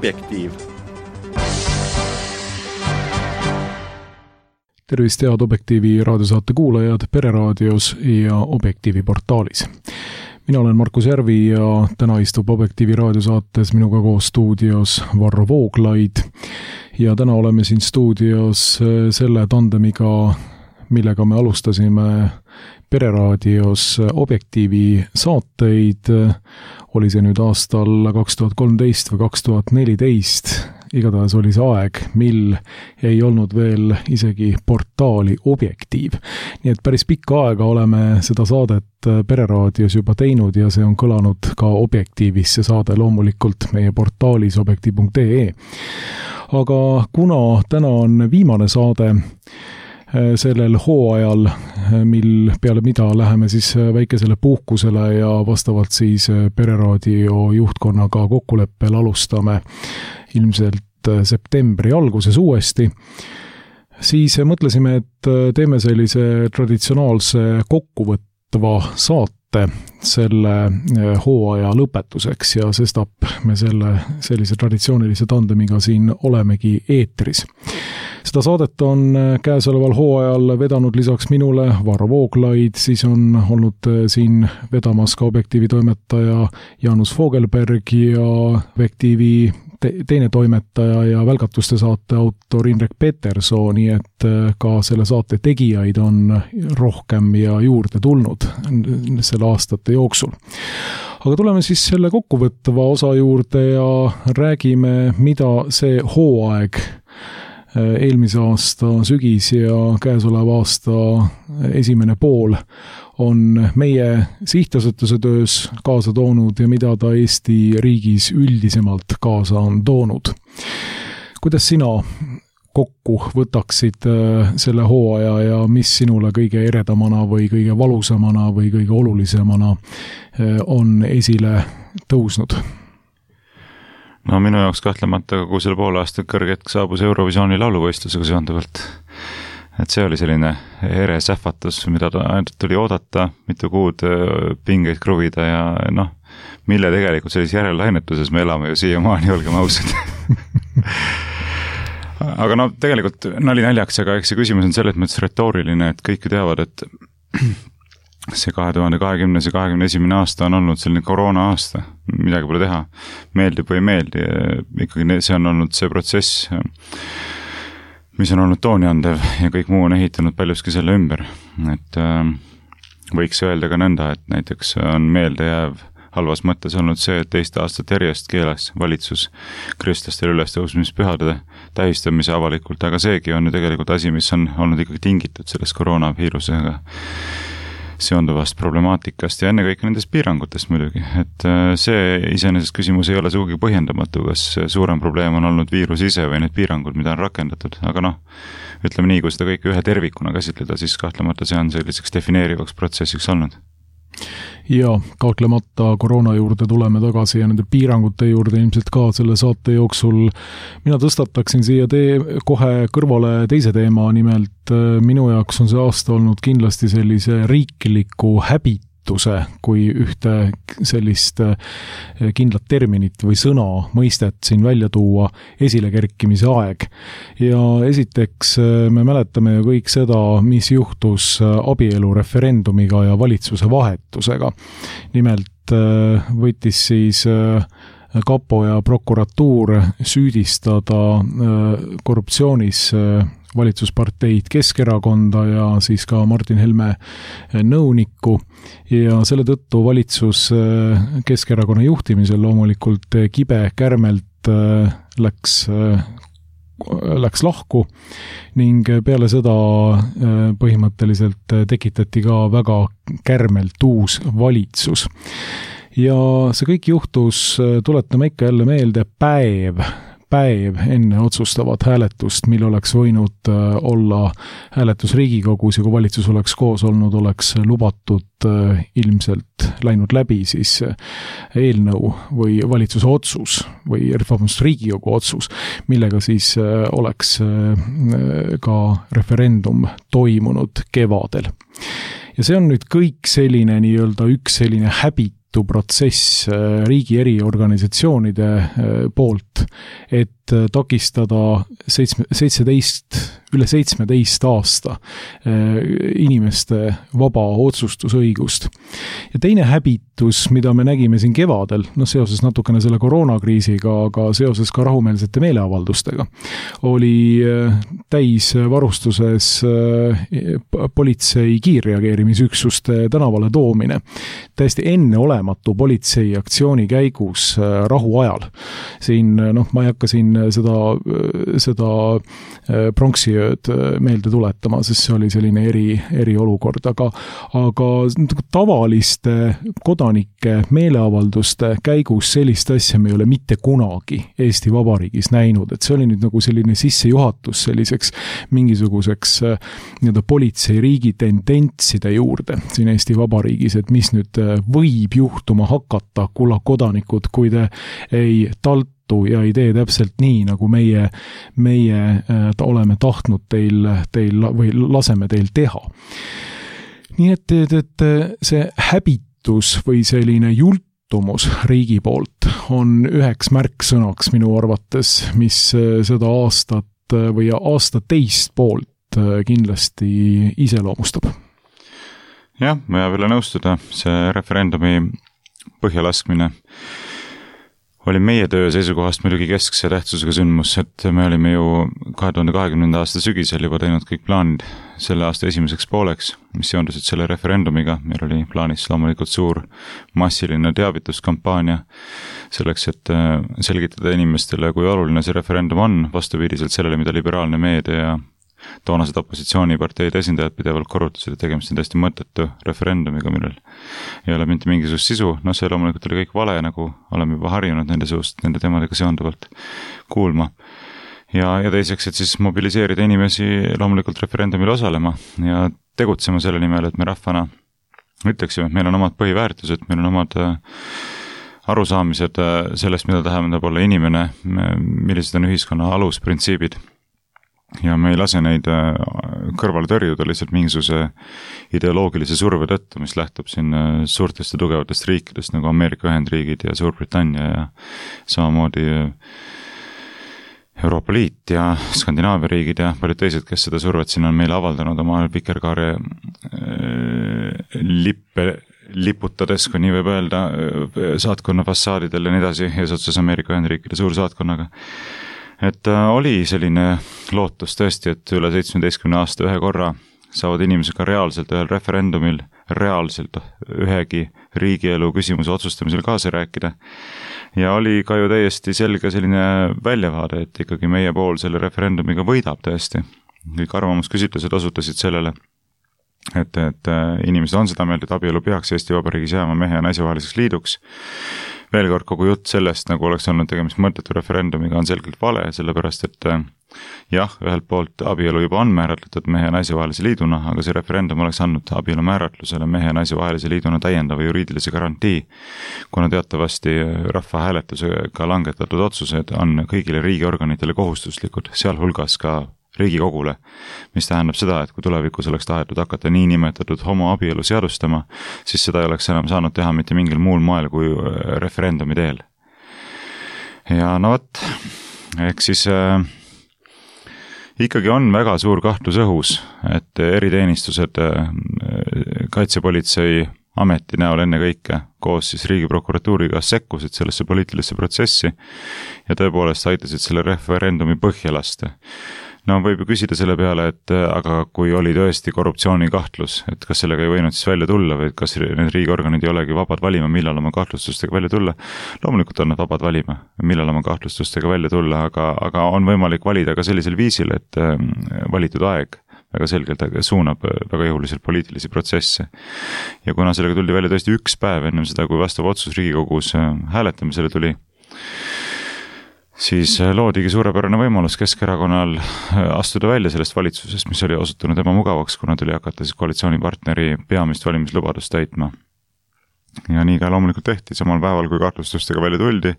Objektiiv. Tervist head Objektiivi raadiosaate kuulajad Pereraadios ja Objektiivi portaalis. Mina olen Markus Järvi ja täna istub Objektiivi raadiosaates minuga koos stuudios Varro Vooglaid. Ja täna oleme siin stuudios selle tandemiga, millega me alustasime Pereraadios Objektiivi saateid. Oli see nüüd aastal 2013 või 2014. Igatahes oli see aeg, mil ei olnud veel isegi portaali Objektiiv. Nii et päris pikka aega oleme seda saadet Pereraadios juba teinud ja see on kõlanud ka Objektiivis, see saade loomulikult meie portaalis objektiiv.ee. Aga kuna täna on viimane saade sellel hooajal, mil peale mida läheme siis väikesele puhkusele ja vastavalt siis Pereraadio juhtkonnaga kokkuleppel alustame ilmselt septembri alguses uuesti, siis mõtlesime, et teeme sellise traditsionaalse kokkuvõtva saate selle hooaja lõpetuseks ja sestap me sellise traditsioonilise tandemiga siin olemegi eetris. Seda saadet on käesoleval hooajal vedanud lisaks minule Varro Vooglaid, siis on olnud siin vedamas ka Objektiivi toimetaja Jaanus Fogelberg ja Objektiivi teine toimetaja ja välgatuste saate autor Indrek Peterson, nii et ka selle saate tegijaid on rohkem ja juurde tulnud selle aastate jooksul. Aga tuleme siis selle kokkuvõtva osa juurde ja räägime, mida see hooaeg eelmise aasta sügis ja käesoleva aasta esimene pool on meie sihtasutuse töös kaasa toonud ja mida ta Eesti riigis üldisemalt kaasa on toonud. Kuidas sina kokku võtaksid selle hooaja ja mis sinule kõige eredamana või kõige valusamana või kõige olulisemana on esile tõusnud? No minu jaoks kahtlemata kogu selle poole aastat kõrgetk saabus Eurovisiooni lauluvõistlusega seonduvalt. Et see oli selline ere sähvatus, mida tuli oodata, mitu kuud pingeid kruvida ja mille tegelikult sellises järellainetuses me elame ju siiamaani, olgem ausad. Aga tegelikult nali naljaks, aga eks see küsimus on selles mõttes retooriline, et kõik ju teavad, et see 2020 ja 2021 aasta on olnud selline koroona aasta, midagi pole teha, meeldib või ei meeldi, ikkagi see on olnud see protsess, mis on olnud tooniandev ja kõik muu on ehitanud paljuski selle ümber, et võiks öelda ka nõnda, et näiteks on meeldejääv halvas mõttes olnud see, et teist aastat järjest keelas valitsus kristlastel ülestõusmispühade tähistamise avalikult, aga seegi on ju tegelikult asi, mis on olnud ikkagi tingitud sellest koroonaviirusega seonduvast problemaatikast ja enne kõik nendest piirangutest muidugi, et see iseenesest küsimus ei ole sugugi põhjendamatu, kas suurem probleem on olnud viirus ise või need piirangud, mida on rakendatud, aga ütleme nii, kui seda kõike ühe tervikuna käsitleda, siis kahtlemata see on selliseks defineerivaks protsessiks olnud. Ja kahtlemata koroona juurde tuleme tagasi ja nende piirangute juurde ilmselt ka selle saate jooksul. Mina tõstataksin siia kohe kõrvale teise teema, nimelt minu jaoks on see aasta olnud kindlasti sellise riikliku häbituse kui ühte sellist kindlat terminit või sõna mõistet siin välja tuua esilekerkimise aeg. Ja esiteks me mäletame ju kõik seda, mis juhtus abielureferendumiga ja valitsuse vahetusega. Nimelt võttis siis kapo ja prokuratuur süüdistada korruptsioonis valitsusparteid Keskerakonda ja siis ka Martin Helme nõunikku ja selle tõttu valitsus Keskerakonna juhtimisel loomulikult kibe kärmelt läks lahku ning peale seda põhimõtteliselt tekitati ka väga kärmelt uus valitsus. Ja see kõik juhtus, tuletame ikka jälle meelde, päev enne otsustavat hääletust, mil oleks võinud olla hääletus Riigikogus ja kui valitsus oleks koos olnud, oleks lubatud ilmselt läinud läbi siis eelnõu või valitsuse otsus või Riigikogu otsus, millega siis oleks ka referendum toimunud kevadel. Ja see on nüüd kõik selline nii-öelda üks selline protsess riigi eri organisatsioonide poolt et takistada üle 17 aasta inimeste vaba otsustusõigust. Ja teine häbitus, mida me nägime siin kevadel, seoses natukene selle koroonakriisiga, aga seoses ka rahumeelsete meeleavaldustega, oli täis varustuses politsei kiirreageerimisüksuste tänavale toomine. Täiesti enneolematu politsei aktsiooni käigus rahuajal. Siin, ma ei hakka siin seda pronksiööd meelde tuletama, sest see oli selline eriolukord, aga tavaliste kodanike meeleavalduste käigus sellist asja me ei ole mitte kunagi Eesti Vabariigis näinud, et see oli nüüd nagu selline sissejuhatus selliseks mingisuguseks politseiriigi tendentside juurde siin Eesti Vabariigis, et mis nüüd võib juhtuma hakata, kulla kodanikud, kui te ei taltu ja ei tee täpselt nii, nagu meie oleme tahtnud teil või laseme teil teha. Nii et see häbitus või selline jultumus riigi poolt on üheks märksõnaks minu arvates, mis seda aastat või aasta teist poolt kindlasti iseloomustab. Jah, ma jääb üle nõustuda, see referendumi põhjalaskmine oli meie töö seisukohast muidugi keskse tähtsusega sündmus, et me olime ju 2020. aasta sügisel juba teinud kõik plaanid selle aasta esimeseks pooleks, mis seondusid selle referendumiga. Meil oli plaanis loomulikult suur massiline teavituskampaania selleks, et selgitada inimestele, kui oluline see referendum on, vastupidiselt sellele, mida liberaalne meedia ja toonased opositsiooniparteide esindajad pidevalt korrutasid, et tegemist on täiesti mõttetu referendumiga, millel ei ole mitte mingisugust sisu. See loomulikult oli kõik vale, nagu oleme juba harjunud nende suust, nende teemadega seonduvalt kuulma. Ja teiseks, et siis mobiliseerida inimesi loomulikult referendumil osalema ja tegutsema selle nimel, et me rahvana ütleksime, et meil on omad põhiväärtused, meil on omad arusaamised sellest, mida tähendab olla inimene, millised on ühiskonna alusprintsiibid. Ja me ei lase neid kõrvale tõrjuda lihtsalt mingisuguse ideoloogilise surve tõttu, mis lähtub siin suurtest ja tugevatest riikidest nagu Ameerika Ühendriigid ja Suurbritannia ja samamoodi Euroopa Liit ja Skandinaavia riigid ja paljud teised, kes seda survet siin on meile avaldanud oma vikerkaare liputades, kui nii võib öelda, saatkonna fassaadidel ja nii edasi, eesotsas Ameerika Ühendriikide suursaatkonnaga. Et oli selline lootus tõesti, et üle 17 aasta ühe korra saavad inimesed ka reaalselt ühel referendumil, reaalselt ühegi riigielu küsimuse otsustamisel kaasa rääkida. Ja oli ka ju täiesti selge selline väljavaade, et ikkagi meie pool selle referendumiga võidab tõesti. Kõik arvamusküsitlused osutasid sellele, et inimesed on seda meelt, et abielu peaks Eesti Vabariigis jääma mehe ja naise vaheliseks liiduks. Veel kord, kogu jutt sellest, nagu oleks olnud tegemist mõttetu referendumiga, on selgelt vale, sellepärast et jah, ühelt poolt abielu juba on määratletud mehe ja naise vahelise liiduna, aga see referendum oleks andnud abielu määratlusele mehe ja naise vahelise liiduna täiendava juriidilise garantii, kuna teatavasti rahvahääletusega langetatud otsused on kõigile riigiorganitele kohustuslikud, sealhulgas ka Riigikogule, mis tähendab seda, et kui tulevikus oleks tahetud hakata niinimetatud homoabielu seadustama, siis seda ei oleks enam saanud teha mitte mingil muul moel kui referendumi teel. Ja võt, ehk siis ikkagi on väga suur kahtlus õhus, et eriteenistused kaitsepolitsei ameti näol enne kõike koos siis riigiprokuratuuriga sekkusid sellesse poliitilisse protsessi ja tõepoolest aitasid selle referendumi põhja lasta. Võib ju küsida selle peale, et aga kui oli tõesti korruptsioonikahtlus, et kas sellega ei võinud siis välja tulla või kas need riigiorganid ei olegi vabad valima, millal oma kahtlustustega välja tulla. Loomulikult on nad vabad valima, millal oma kahtlustustega välja tulla, aga on võimalik valida ka sellisel viisil, et valitud aeg väga selgelt suunab väga jõuliselt poliitilisi protsesse. Ja kuna sellega tuldi välja tõesti üks päev ennem seda, kui vastav otsus Riigikogus hääletamisele tuli, siis loodigi suurepärane võimalus Keskerakonnal astuda välja sellest valitsusest, mis oli osutunud ebamugavaks, kuna tuli hakata siis koalitsioonipartneri peamist valimislubadust täitma. Ja nii ka loomulikult tehti, samal päeval, kui kahtlustustega välja tuldi,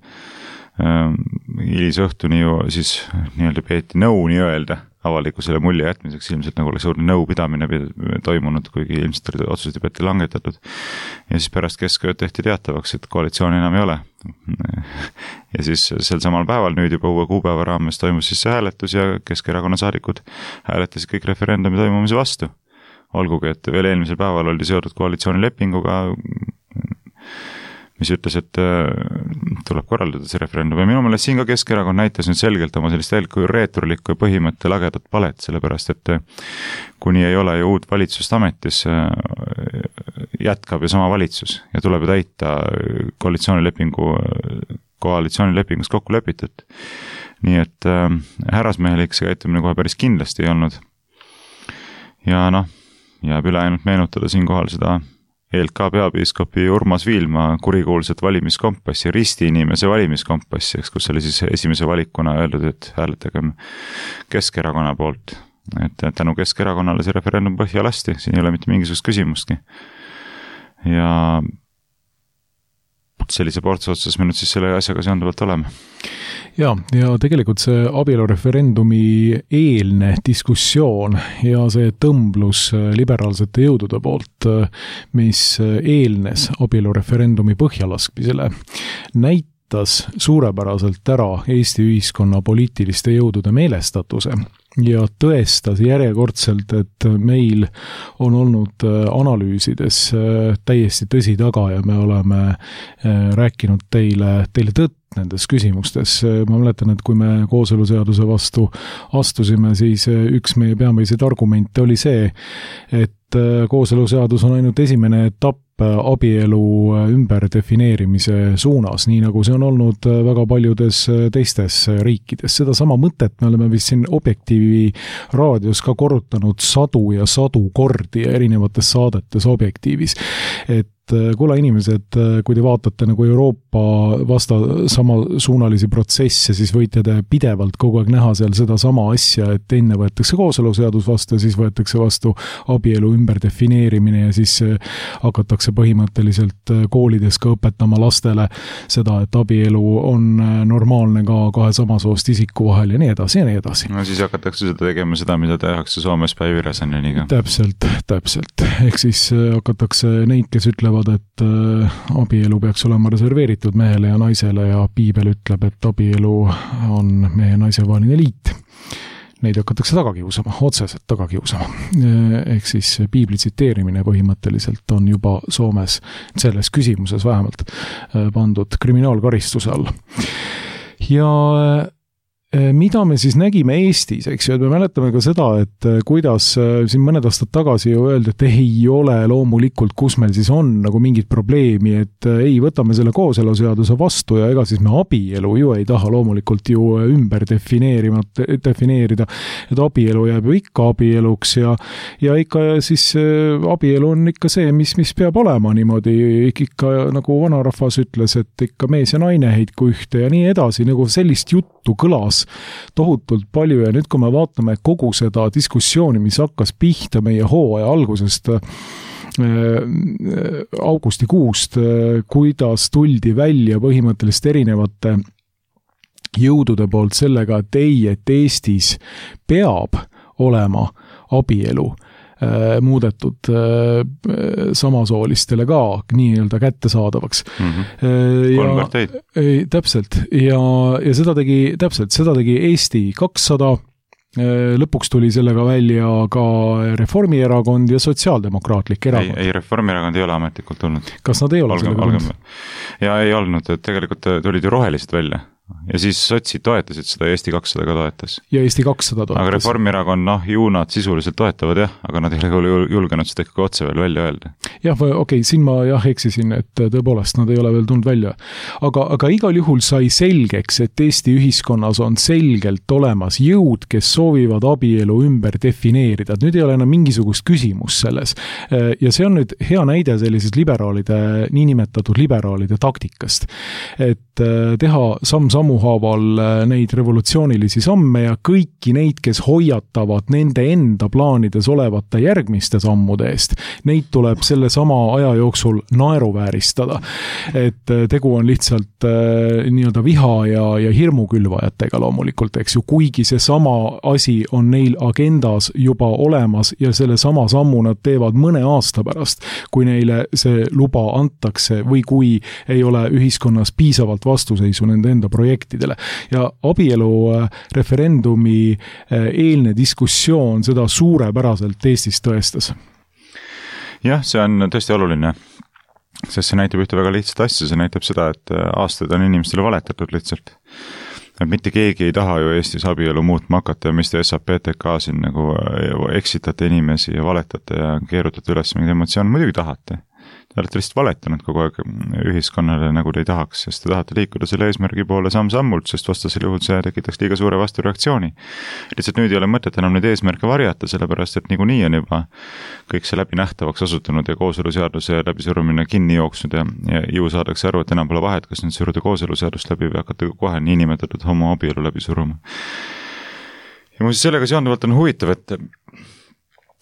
hilis õhtuni ju siis nii-öelda peeti nõu nii-öelda avalikkusele mulje jätmiseks, ilmselt nagu oleks suurde nõupidamine toimunud, kuigi ilmselt olid otsused juba ette langetatud. Ja siis pärast keskööd tehti teatavaks, et koalitsiooni enam ei ole. Ja siis sel samal päeval nüüd juba uue kuupäeva raames toimus siis see hääletus ja Keskerakonna saadikud hääletasid kõik referendumi toimumise vastu. Olgugi, et veel eelmisel päeval oli seotud koalitsioonilepinguga, mis ütles, et tuleb korraldada see referendum. Ja minu meelest siin ka Keskerakond näitas nüüd selgelt oma sellist reeturlikku põhimõtte lagedat palet, sellepärast, et kuni ei ole ju uut valitsust ametis, jätkab ju sama valitsus ja tuleb ju täita koalitsioonilepingus kokku lepitud. Nii et härrasmehelik see käitumine kohe päris kindlasti ei olnud. Ja jääb üle ainult meenutada siinkohal seda ELK peapiiskopi Urmas Viilma kurikuulsat valimiskompassi, risti inimese valimiskompassi, kus oli siis esimese valikuna öeldud, et hääletagem Keskerakonna poolt. Et tänu Keskerakonnale see referendum põhja lasti, siin ei ole mitte mingisugust küsimustki. Ja sellise portsuotsus me nüüd siis selle asjaga seonduvalt oleme. Ja tegelikult see abielureferendumi eelne diskussioon ja see tõmblus liberaalsete jõudude poolt, mis eelnes abielureferendumi põhjalaskmisele, näitas suurepäraselt ära Eesti ühiskonna poliitiliste jõudude meelestatuse ja tõestas järjekordselt, et meil on olnud analüüsides täiesti tõsi taga ja me oleme rääkinud teile tõtt nendes küsimustes. Ma mäletan, et kui me kooseluseaduse vastu astusime, siis üks meie peamiseid argumente oli see, et kooseluseadus on ainult esimene etapp abielu ümberdefineerimise suunas, nii nagu see on olnud väga paljudes teistes riikides. Seda sama mõtet me oleme vist siin Objektiivi raadios ka korrutanud sadu ja sadu kordi erinevates saadetes Objektiivis. Et kuule inimesed, kui te vaatate nagu Euroopa samasuunalisi protsesse, siis võite te pidevalt kogu aeg näha seal seda sama asja, et enne võetakse kooseluseadus vastu ja siis võetakse vastu abielu ümberdefineerimine ja siis hakatakse põhimõtteliselt koolides ka õpetama lastele seda, et abielu on normaalne ka kahe samasoost isiku vahel ja nii edasi ja nii edasi. No siis hakatakse seda tegema seda, mida tehakse Soomes Päivi Räsäneniga. Täpselt. Ehk siis hakatakse neid, kes ütlevad, et abielu peaks olema reserveeritud mehele ja naisele ja piibel ütleb, et abielu on mehe ja naise vaheline liit. Neid hakatakse tagakiusama, otseselt tagakiusama. Ehk siis piibli tsiteerimine põhimõtteliselt on juba Soomes selles küsimuses vähemalt pandud kriminaalkaristuse alla. Ja mida me siis nägime Eestis, eks ju, et me mäletame ka seda, et kuidas siin mõned aastad tagasi ju öeldi, et ei ole loomulikult, kus meil siis on nagu mingit probleemi, et ei, võtame selle kooseluseaduse vastu ja ega siis me abielu ju ei taha loomulikult ju ümber defineerida, et abielu jääb ju ikka abieluks ja ikka siis abielu on ikka see, mis peab olema niimoodi, ikka nagu vanarahvas ütles, et ikka mees ja naine heitku ühte ja nii edasi, nagu sellist juttu kõlas tohutult palju ja nüüd, kui me vaatame kogu seda diskussiooni, mis hakkas pihta meie hooaja algusest augustikuust, kuidas tuldi välja põhimõtteliselt erinevate jõudude poolt sellega, et Eestis peab olema abielu muudetud samasoolistele ka nii-öelda kättesaadavaks. Kolm parteid. Täpselt. Ja seda tegi Eesti 200. Lõpuks tuli sellega välja ka Reformierakond ja Sotsiaaldemokraatlik erakond. Ei, Reformierakond ei ole ametlikult tulnud. Kas nad ei ole sellega tulnud? Ja ei olnud, et tegelikult tulid ju rohelised välja. Ja siis sotsid toetasid seda ja Eesti 200 ka toetas. Ja Eesti 200 toetas. Aga Reformierakond, ju nad sisuliselt toetavad aga nad ei ole julgenud seda ikkagi otse veel välja öelda. Jah, okei, siin ma eksisin, et tõepoolest nad ei ole veel tulnud välja. Aga igal juhul sai selgeks, et Eesti ühiskonnas on selgelt olemas jõud, kes soovivad abielu ümber defineerida. Nüüd ei ole enam mingisugust küsimus selles. Ja see on nüüd hea näide sellisest niinimetatud liberaalide taktikast. Et teha sammuhaaval neid revolutsioonilisi samme ja kõiki neid, kes hoiatavad nende enda plaanides olevate järgmiste sammude eest, neid tuleb selle selle sama aja jooksul naeruvääristada. Et tegu on lihtsalt nii-öelda viha ja hirmukülvajatega loomulikult, eks ju, kuigi see sama asi on neil agendas juba olemas ja selle sama sammu nad teevad mõne aasta pärast, kui neile see luba antakse või kui ei ole ühiskonnas piisavalt vastuseisu nende enda projektidele. Ja abielu referendumi eelne diskussioon seda suurepäraselt Eestis tõestas. Jah, see on tõesti oluline, sest see näitab ühte väga lihtsat asja, see näitab seda, et aastaid on inimestele valetatud lihtsalt. Et mitte keegi ei taha ju Eestis abielu muutma hakata ja mis te SAPTK siin nagu eksitate inimesi ja valetate ja keerutate üles mingid emotsioon, muidugi tahate. Te olete lihtsalt valetanud kogu aeg ühiskonnale, nagu te ei tahaks, sest te tahate liikuda selle eesmärgi poole samm-sammult, sest vastasel juhul see tekitaks liiga suure vastureaktsiooni. Lihtsalt nüüd ei ole mõtet enam neid eesmärke varjata, sellepärast et niikuinii on juba kõik see läbi nähtavaks osutunud ja kooseluseaduse läbisurumine kinni jooksnud ja ju saadakse aru, et enam pole vahet, kas nüüd suruda kooseluseadust läbi või hakata kohe niinimetatud homoabielu läbi suruma. Ja muuseas sellega seonduvalt on huvitav, et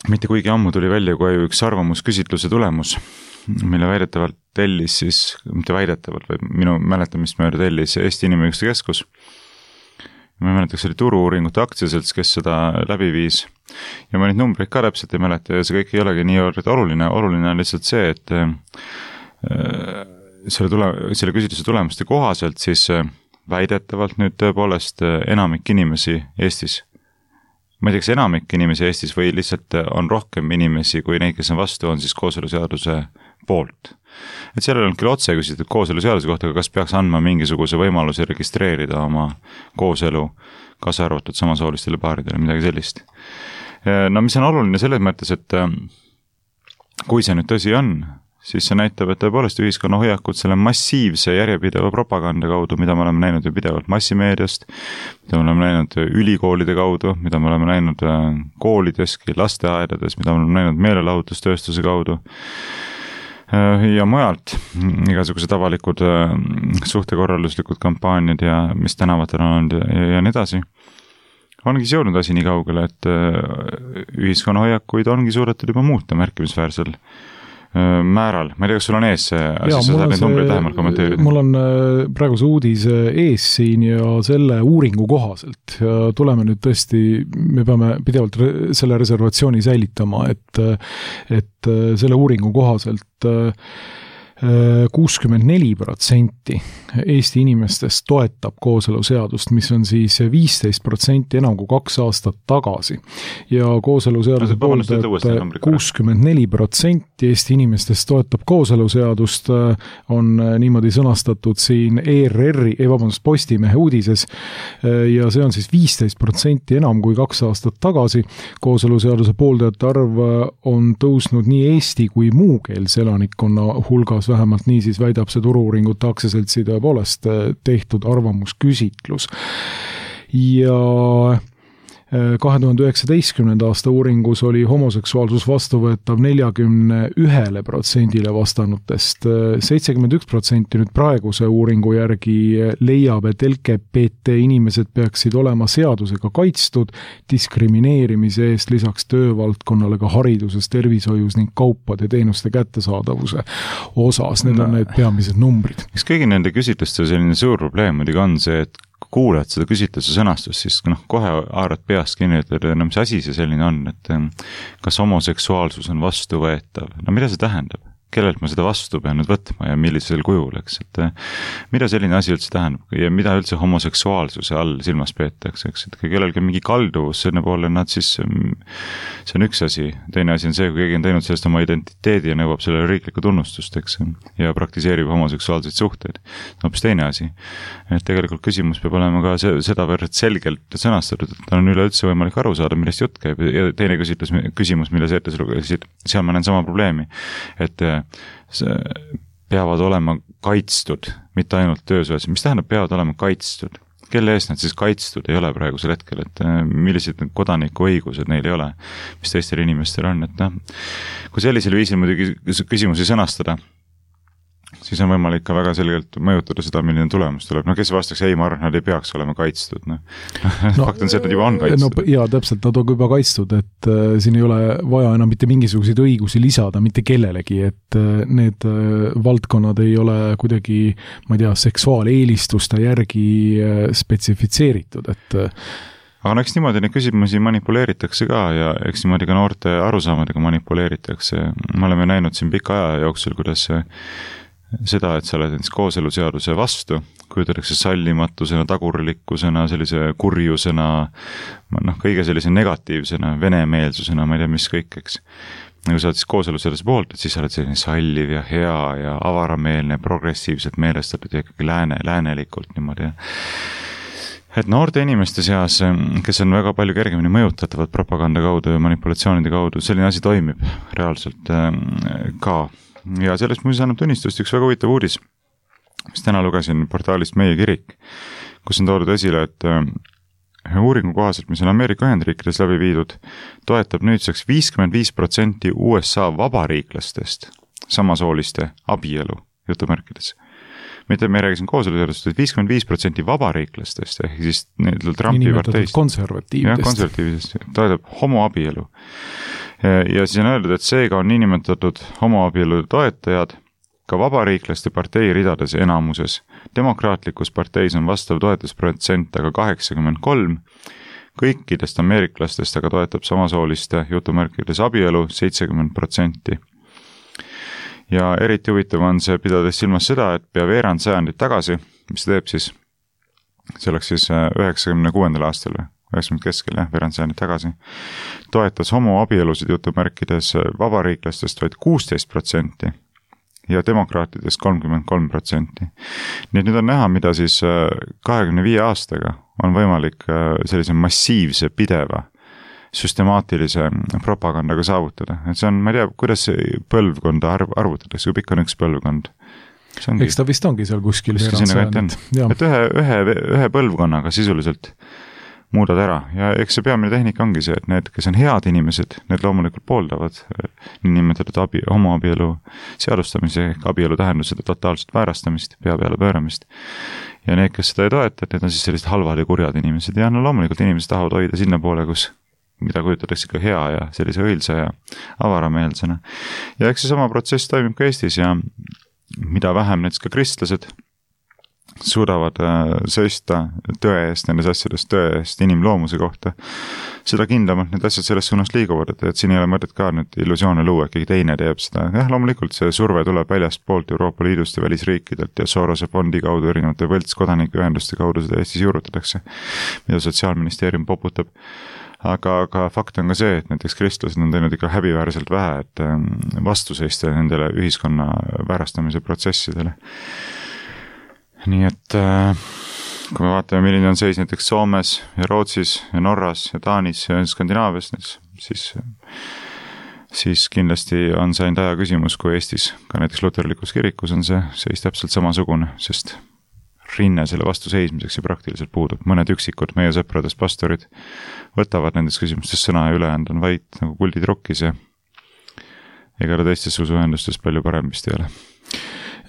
mitte kuigi ammu tuli välja kui üks arvamusküsitluse tulemus, mille väidetavalt tellis siis, mitte väidetavalt, vaid minu mäletamist mööda tellis Eesti Inimõiguste Keskus. Ma mäletaks, oli Turu-uuringute aktsiaselts, kes seda läbi viis. Ja ma neid numbreid ka täpselt ei mäleta ja see kõik ei olegi nii oluline. Oluline on lihtsalt see, et selle küsitluse tulemuste kohaselt siis väidetavalt nüüd tõepoolest enamik inimesi Eestis, ma ei tea, kas enamik inimesi Eestis või lihtsalt on rohkem inimesi kui neid, kes on vastu, on siis kooseluseaduse poolt. Et seal on küll otse küsitud kooseluseaduse kohta, kas peaks andma mingisuguse võimaluse registreerida oma kooselu, kaasa arvatud samasoolistele paaridele, midagi sellist. No mis on oluline selles mõttes, et kui see nüüd tõsi on, siis see näitab, et tõepoolest ühiskonna hoiakud selle massiivse järjepideva propaganda kaudu, mida me oleme näinud ju pidevalt massimeediast, mida me oleme näinud ülikoolide kaudu, mida me oleme näinud koolideski, lasteaedades, mida me oleme näinud meelelahutustööstuse kaudu ja mujalt igasugused avalikud suhtekorralduslikud kampaaniad ja mis tänavatel on olnud ja nii edasi. Ongi jõudnud asi nii kaugele, et ühiskonna hoiakuid ongi suudetud juba muuta märkimisväärsel määral. Ma ei tea, kas sul on ees see asi, sa saad neid numbreid lähemalt kommenteerida? Mul on praegu see uudis ees siin ja selle uuringu kohaselt ja tuleme nüüd tõesti, me peame pidevalt selle reservatsiooni säilitama, et selle uuringu kohaselt 64% Eesti inimestest toetab kooseluseadust, mis on siis 15% enam kui 2 aastat tagasi. Ja kooseluseaduse pooldajat 64% Eesti inimestest toetab kooseluseadust, on niimoodi sõnastatud siin Postimehe uudises ja see on siis 15% enam kui 2 aastat tagasi. Kooseluseaduse pooldajate arv on tõusnud nii Eesti kui muukeelse elanikkonna hulgas, vähemalt nii siis väidab see Turu-uuringute aktsiaseltsi tõepoolest tehtud arvamusküsitlus. Ja 2019. aasta uuringus oli homoseksuaalsus vastuvõetav 41% vastanutest. 71% nüüd praeguse uuringu järgi leiab, et LGBT inimesed peaksid olema seadusega kaitstud diskrimineerimise eest lisaks töövaldkonnale ka hariduses, tervishoius ning kaupade teenuste kättesaadavuse osas. Need on need peamised numbrid. Mis kõigi nende küsitluste selline suur probleem muidugi on see, et kuuled seda küsitluse sõnastust, siis kohe haarad peast kinni, et mis asi see selline on, et kas homoseksuaalsus on vastuvõetav. No mida see tähendab? Kellelt ma seda vastu pean nüüd võtma ja millisel kujul, eks, et mida selline asi üldse tähendab ja mida üldse homoseksuaalsuse all silmas peetakse, eks, et kui kellelgi on mingi kalduvus selle poole, nad siis, see on üks asi, teine asi on see, kui keegi on teinud sellest oma identiteedi ja nõuab sellele riiklikku tunnustust, eks, ja praktiseerib homoseksuaalseid suhteid, hoopis teine asi. Et tegelikult küsimus peab olema ka seda võrd selgelt sõnastatud, et on üleüldse võimalik aru saada, millest jutt käib ja teine küsimus, mille sa ette lugesid, seal ma näen sama probleemi, et peavad olema kaitstud, mitte ainult töösuhetes. Mis tähendab peavad olema kaitstud? Kelle eest nad siis kaitstud ei ole praegusel hetkel, et millised kodaniku õigused neil ei ole, mis teistel inimestel on, et kui sellisel viisil muidugi küsimusi sõnastada, siis on võimalik ka väga selgelt mõjutada seda, milline tulemus tuleb. No kes vastaks, ei, ma arvan, nad ei peaks olema kaitstud. No. Fakt on see, et nad juba on kaitstud. No, jaa, täpselt, nad on juba kaitstud, et siin ei ole vaja enam mitte mingisuguseid õigusi lisada mitte kellelegi, et need valdkonnad ei ole kuidagi, ma ei tea, seksuaaleelistuste järgi spetsifitseeritud, et aga no eks niimoodi neid küsimusi manipuleeritakse ka ja eks niimoodi ka noorte arusaamadega manipuleeritakse. Me oleme näinud siin pika aja jooksul, kuidas seda, et sa oled näiteks kooseluseaduse vastu, kujutatakse sallimatusena, tagurlikkusena, sellise kurjusena, kõige sellise negatiivsena, venemeelsusena, ma ei tea, mis kõik, eks. Kui sa oled siis kooseluseaduse poolt, et siis sa oled selline salliv ja hea ja avarameelne, progressiivselt meelestatud ja ikkagi läänelikult niimoodi. Et noorte inimeste seas, kes on väga palju kergemini mõjutatavad propaganda kaudu ja manipulatsioonide kaudu, selline asi toimib reaalselt ka. Ja sellest muuseas annab tunnistust üks väga huvitav uudis, mis täna lugesin portaalist Meie Kirik, kus on toodud esile, et uuringu kohaselt, mis on Ameerika Ühendriikides läbi viidud, toetab nüüdseks 55% USA vabariiklastest samasooliste abielu, jutumärkides. Mitte me räägisin kooseluseadust, et 55% vabariiklastest, ehk siis Trumpi parteist. Konservatiividest toetab homoabielu. Ja siis on öeldud, et seega on niinimetatud homoabielu toetajad ka vabariiklaste partei ridades enamuses. Demokraatlikus parteis on vastav toetusprotsent aga 83, kõikidest ameeriklastest aga toetab samasooliste jutumärkides abielu 70%. Ja eriti huvitav on see, pidades silmas seda, et pea veerand sajandit tagasi, mis teeb siis, see oleks siis 96. aastal või 90 keskel, veerand sajandit tagasi, toetas homoabielusid jutumärkides vabariiklastest vaid 16% ja demokraatidest 33%. Nii et nüüd on näha, mida siis 25 aastaga on võimalik sellise massiivse, pideva, süstemaatilise propagandaga saavutada. Et see on, ma ei tea, kuidas see põlvkonda arvutatakse, kui pikk on üks põlvkond. Eks ta vist ongi seal kuskil. Et ühe põlvkonnaga sisuliselt muudad ära ja eks see peamine tehnika ongi see, et need, kes on head inimesed, need loomulikult pooldavad niinimetatud homoabielu seadustamise, abielu tähendusede totaalset väärastamist, pea peale pööramist. Ja need, kes seda ei toeta, need on siis sellised halvad ja kurjad inimesed ja no loomulikult inimesed tahavad hoida sinna poole, kus mida kujutatakse ka hea ja sellise õilsa ja avarameelsena. Ja eks see sama protsess toimib ka Eestis ja mida vähem näiteks ka kristlased suudavad seista tõe eest, nendes asjadest tõe eest inimloomuse kohta, seda kindlamalt need asjad sellest suunas liiguvad, et siin ei ole mõtet ka nüüd illusioone luua, keegi teine teeb seda. Loomulikult see surve tuleb väljast poolt Euroopa Liidust ja välisriikidelt ja Sorose fondi kaudu erinevate võltskodanikuühenduste kaudu seda Eestis juurutatakse, mida Sotsiaalministeerium poputab. Aga fakt on ka see, et näiteks kristlased on teinud ikka häbiväärselt vähe, et vastu seista nendele ühiskonna väärastamise protsessidele. Nii et kui me vaatame, milline on seis näiteks Soomes ja Rootsis ja Norras ja Taanis ja Skandinaavias, siis kindlasti on see ainult aja küsimus, kui Eestis, ka näiteks luterlikus kirikus on see seis täpselt samasugune, sest rinne selle vastu seismiseks ja praktiliselt puudub. Mõned üksikud meie sõpradest pastorid võtavad nendes küsimustes sõna ja ülejäänud on vaid nagu kuldid rokkis ja ega teistes usuühendustes palju parem vist ei ole.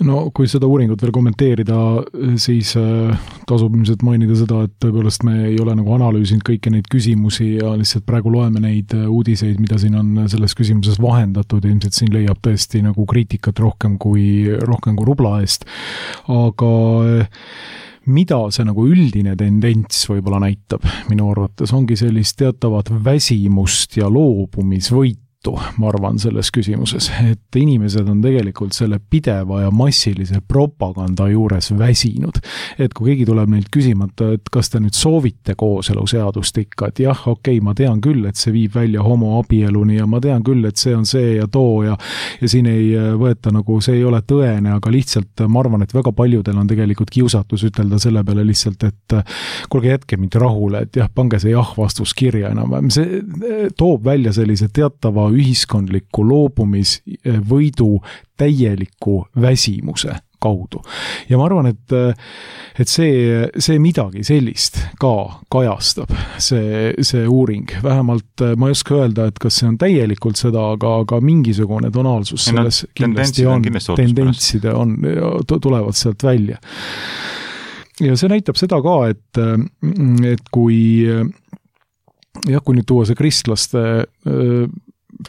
No kui seda uuringut veel kommenteerida, siis tasub ilmselt mainida seda, et tõepoolest me ei ole nagu analüüsinud kõiki neid küsimusi ja lihtsalt praegu loeme neid uudiseid, mida siin on selles küsimuses vahendatud, ilmselt siin leiab tõesti nagu kriitikat rohkem kui rubla eest. Aga mida see nagu üldine tendents võib-olla näitab minu arvates, ongi sellist teatavat väsimust ja loobumisvõitu, ma arvan, selles küsimuses, et inimesed on tegelikult selle pideva ja massilise propaganda juures väsinud. Et kui keegi tuleb neilt küsimata, et kas te nüüd soovite kooseluseadust ikka, et jah, okei, ma tean küll, et see viib välja homoabieluni ja ma tean küll, et see on see ja too ja siin ei võeta nagu, see ei ole tõene, aga lihtsalt ma arvan, et väga paljudel on tegelikult kiusatus ütelda selle peale lihtsalt, et kuulge, jätke mind rahule, et jah, pange see jah vastus kirja enam. See toob välja sellise teatava ühiskondliku loobumisvõidu täieliku väsimuse kaudu. Ja ma arvan, et see midagi sellist ka kajastab, see uuring. Vähemalt ma ei oska öelda, et kas see on täielikult seda, aga mingisugune tonaalsus selles kindlasti on, tendentside on, tulevad sealt välja. Ja see näitab seda ka, et kui nüüd tuua see kristlaste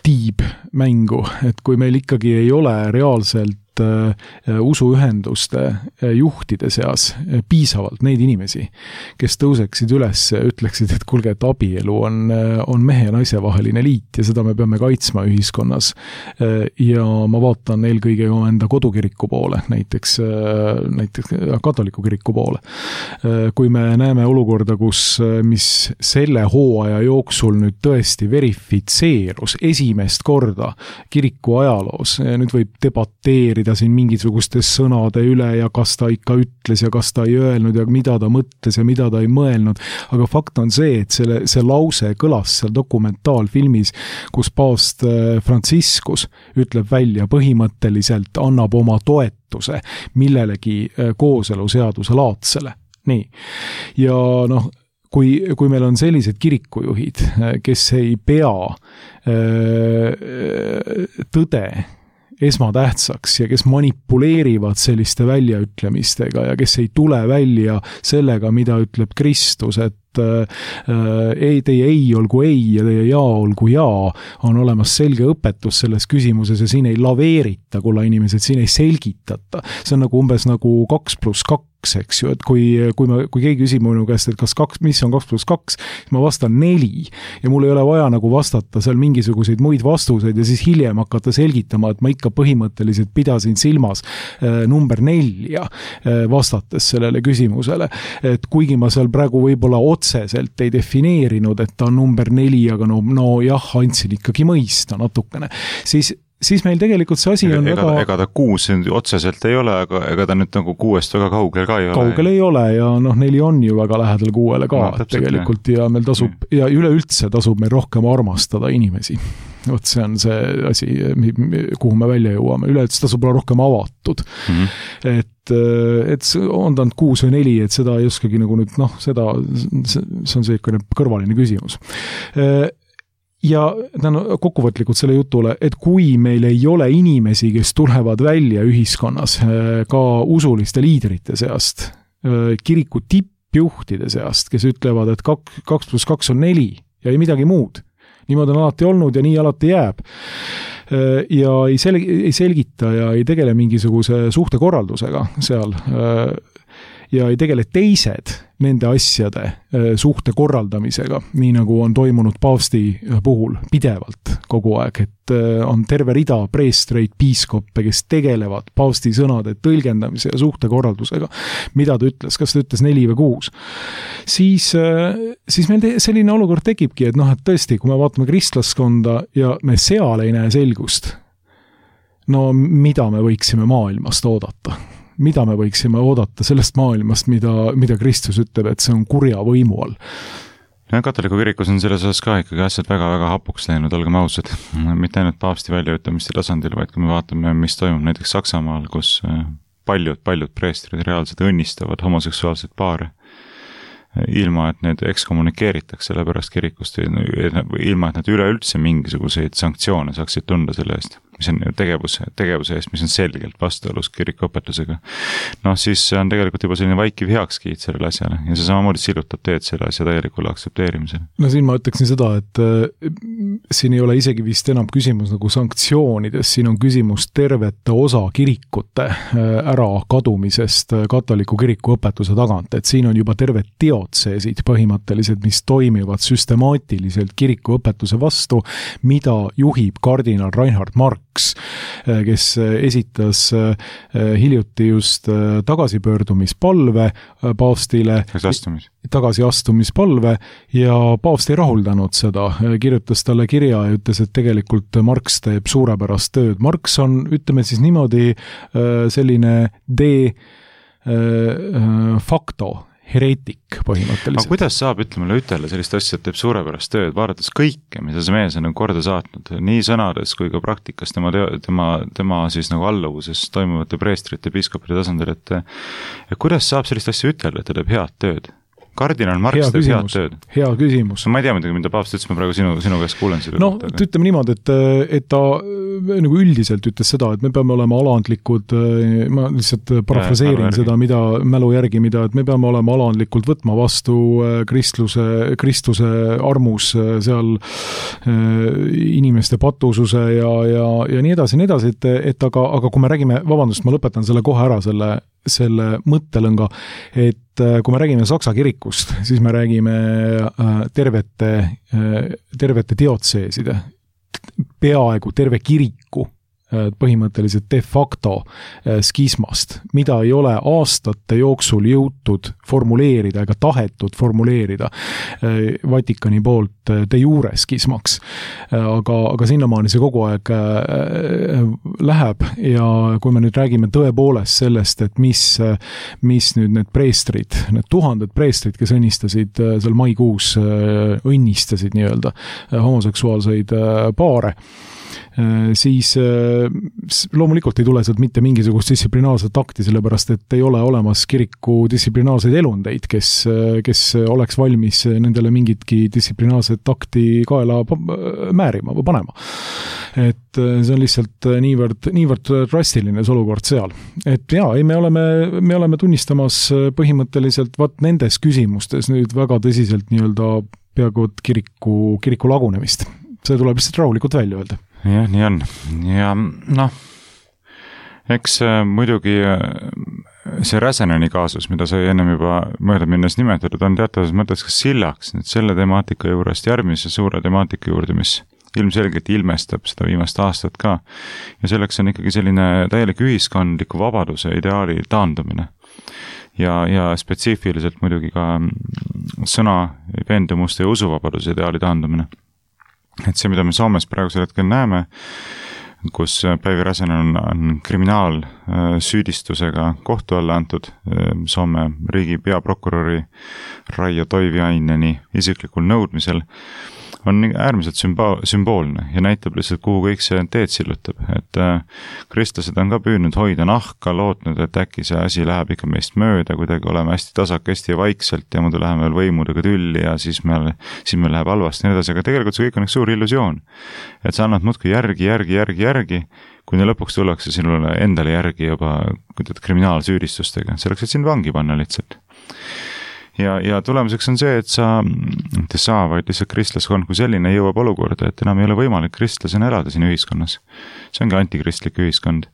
tiib mängu, et kui meil ikkagi ei ole reaalselt usuühenduste juhtide seas piisavalt neid inimesi, kes tõuseksid üles ja ütleksid, et kuulge, et abielu on mehe ja naise vaheline liit ja seda me peame kaitsma ühiskonnas. Ja ma vaatan eelkõige enda kodukiriku poole, näiteks katoliku kiriku poole. Kui me näeme olukorda, mis selle hooaja jooksul nüüd tõesti verifitseerus esimest korda kiriku ajaloos, nüüd võib debateerida siin mingisuguste sõnade üle ja kas ta ikka ütles ja kas ta ei öelnud ja mida ta mõtles ja mida ta ei mõelnud. Aga fakt on see, et see lause kõlas seal dokumentaalfilmis, kus paavst Franciscus ütleb välja põhimõtteliselt, annab oma toetuse millelegi kooseluseaduse laadsele. Nii. Ja kui meil on sellised kirikujuhid, kes ei pea tõde esmatähtsaks ja kes manipuleerivad selliste väljaütlemistega ja kes ei tule välja sellega, mida ütleb Kristus, et teie ei olgu ei ja teie jaa olgu jaa, on olemas selge õpetus selles küsimuses ja siin ei laveerita, kulla inimesed, siin ei selgitata. See on umbes 2+2, eks ju, et kui keegi küsib minu käest, et mis on 2+2, ma vastan 4 ja mul ei ole vaja vastata seal mingisuguseid muid vastuseid ja siis hiljem hakata selgitama, et ma ikka põhimõtteliselt pidasin silmas number 4 vastates sellele küsimusele, et kuigi ma seal praegu võib-olla otseselt ei defineerinud, et ta on number 4, aga no jah, andsin ikkagi mõista natukene, siis meil tegelikult see asi on ega ta 6 otseselt ei ole, aga ega ta nüüd 6-st väga kaugel ka ei ole. Kaugel ei ole ja 4 on ju väga lähedal 6-le ka tegelikult ja meil tasub ja üleüldse tasub meil rohkem armastada inimesi. Vot see on see asi, kuhu me välja jõuame. Üleüldse tasub olla rohkem avatud. Et on ta 6 või 4, et seda ei oskagi nüüd, see on see kõrvaline küsimus. Ja kokkuvõtlikult selle jutule, et kui meil ei ole inimesi, kes tulevad välja ühiskonnas ka usuliste liidrite seast, kiriku tippjuhtide seast, kes ütlevad, et 2+2 on 4 ja ei midagi muud. Niimoodi on alati olnud ja nii alati jääb. Ja ei selgita ja ei tegele mingisuguse suhtekorraldusega seal ja ei tegele teised nende asjade suhte korraldamisega, nii nagu on toimunud paavsti puhul pidevalt kogu aeg, et on terve rida preestreid, piiskoppe, kes tegelevad paavsti sõnade tõlgendamise ja suhte korraldusega. Mida ta ütles, kas ta ütles 4 või 6? Siis meil selline olukord tekibki, et et tõesti, kui me vaatame kristlaskonda ja me seal ei näe selgust, mida me võiksime maailmast oodata? Mida me võiksime oodata sellest maailmast, mida Kristus ütleb, et see on kurja võimu all? Katoliku kirikus on selles osas ka ikkagi asjad väga-väga hapuks läinud, olgem ausad. Mitte ainult paavsti väljaütlemiste tasandil, vaid kui me vaatame, mis toimub näiteks Saksamaal, kus paljud preestrid reaalselt õnnistavad homoseksuaalseid paare, ilma et need ekskommunikeeritakse selle pärast kirikust, ilma et nad üleüldse mingisuguseid sanktsioone saaksid tunda selle eest, mis on tegevuse eest, mis on selgelt vastuolus kirikuõpetusega. Siis on tegelikult juba selline vaikiv heakskiit sellele asjale ja see samamoodi silutab teed selle asja täielikule aktsepteerimisele. Siin ma ütleksin seda, et siin ei ole isegi vist enam küsimus sanktsioonides, siin on küsimus tervete osa kirikute ära kadumisest katoliku kiriku õpetuse tagant, et siin on juba terved teotseesid põhimõtteliselt, mis toimivad süstemaatiliselt kiriku õpetuse vastu, mida juhib kardinal Reinhard Marx, kes esitas hiljuti just tagasipöördumispalve paavstile, tagasiastumispalve ja paavst ei rahuldanud seda, kirjutas talle kirja ja ütles, et tegelikult Marx teeb suurepärast tööd. Marx on, ütleme siis niimoodi, selline de facto hereetik põhimõtteliselt. Aga kuidas saab, ütleme, ütelda sellist asja, et teeb suurepärast tööd, vaadates kõike, mida see mees on korda saatnud, nii sõnades kui ka praktikas tema siis nagu alluvuses toimuvate preestrite, piiskopide tasandil, et kuidas saab sellist asja ütelda, et ta teeb head tööd? Kardinal Marx teeb head tööd. Hea küsimus. Ma ei tea mida paavst ütles, ma praegu sinu käest kuulen seda. No, ütleme niimoodi, et ta nagu üldiselt ütles seda, et me peame olema alandlikud, ma lihtsalt parafraseerin seda, mälu järgi, et me peame olema alandlikult võtma vastu Kristuse armus seal inimeste patususe ja nii edasi, et aga kui me räägime, vabandust, ma lõpetan selle kohe ära, selle mõttelõnga, et kui me räägime Saksa kirikust, siis me räägime tervete diotseeside, peaaegu terve kiriku põhimõtteliselt de facto skismast, mida ei ole aastate jooksul jõutud formuleerida ega tahetud formuleerida Vatikani poolt de jure skismaks. Aga sinnamaani see kogu aeg läheb ja kui me nüüd räägime tõepoolest sellest, et mis nüüd need preestrid, need tuhanded preestrid, kes õnnistasid seal maikuus, õnnistasid nii-öelda homoseksuaalseid paare, siis loomulikult ei tule sealt mitte mingisugust distsiplinaarset akti, sellepärast et ei ole olemas kiriku distsiplinaarseid elundeid, kes oleks valmis nendele mingitki distsiplinaarset akti kaela määrima või panema. Et see on lihtsalt niivõrd drastiline see olukord seal. Et me oleme tunnistamas põhimõtteliselt nendes küsimustes nüüd väga tõsiselt nii-öelda peaaegu kiriku lagunemist. See tuleb lihtsalt rahulikult välja öelda. Jah, nii on. Ja eks muidugi see Räseneni kaasus, mida sai ennem juba mööda minnes nimetatud, on teatavas mõttes ka sillaks nüüd selle temaatika juurest järgmise suure temaatika juurde, mis ilmselgelt ilmestab seda viimast aastat ka. Ja selleks on ikkagi selline täielik ühiskondliku vabaduse ideaali taandumine. Ja spetsiifiliselt muidugi ka sõna, veendumuste ja usuvabaduse ideaali taandumine. Et see, mida me Soomes praegusel hetkel näeme, kus Päivi Räsänen on kriminaalsüüdistusega kohtu alla antud Soome riigi peaprokuröri Raijo Toiviaineni isiklikul nõudmisel, on äärmiselt sümboolne ja näitab lihtsalt, kuhu kõik see teed sillutab. Et kristlased on ka püüdnud hoida nahka, lootnud, et äkki see asi läheb ikka meist mööda, kuidagi oleme hästi tasakesti ja vaikselt ja muidu läheme veel võimudega tülli ja siis meil läheb halvasti nii edasi, aga tegelikult see kõik on üks suur illusioon. Et sa annad muudki järgi, kuni lõpuks tullakse sinule endale järgi juba kriminaalsüüdistustega. Selleks, et sind vangi panna lihtsalt. Ja tulemuseks on see, et vaid lihtsalt kristlaskond kui selline jõuab olukorda, et enam ei ole võimalik kristlasena elada siin ühiskonnas. See ongi antikristlik ühiskond.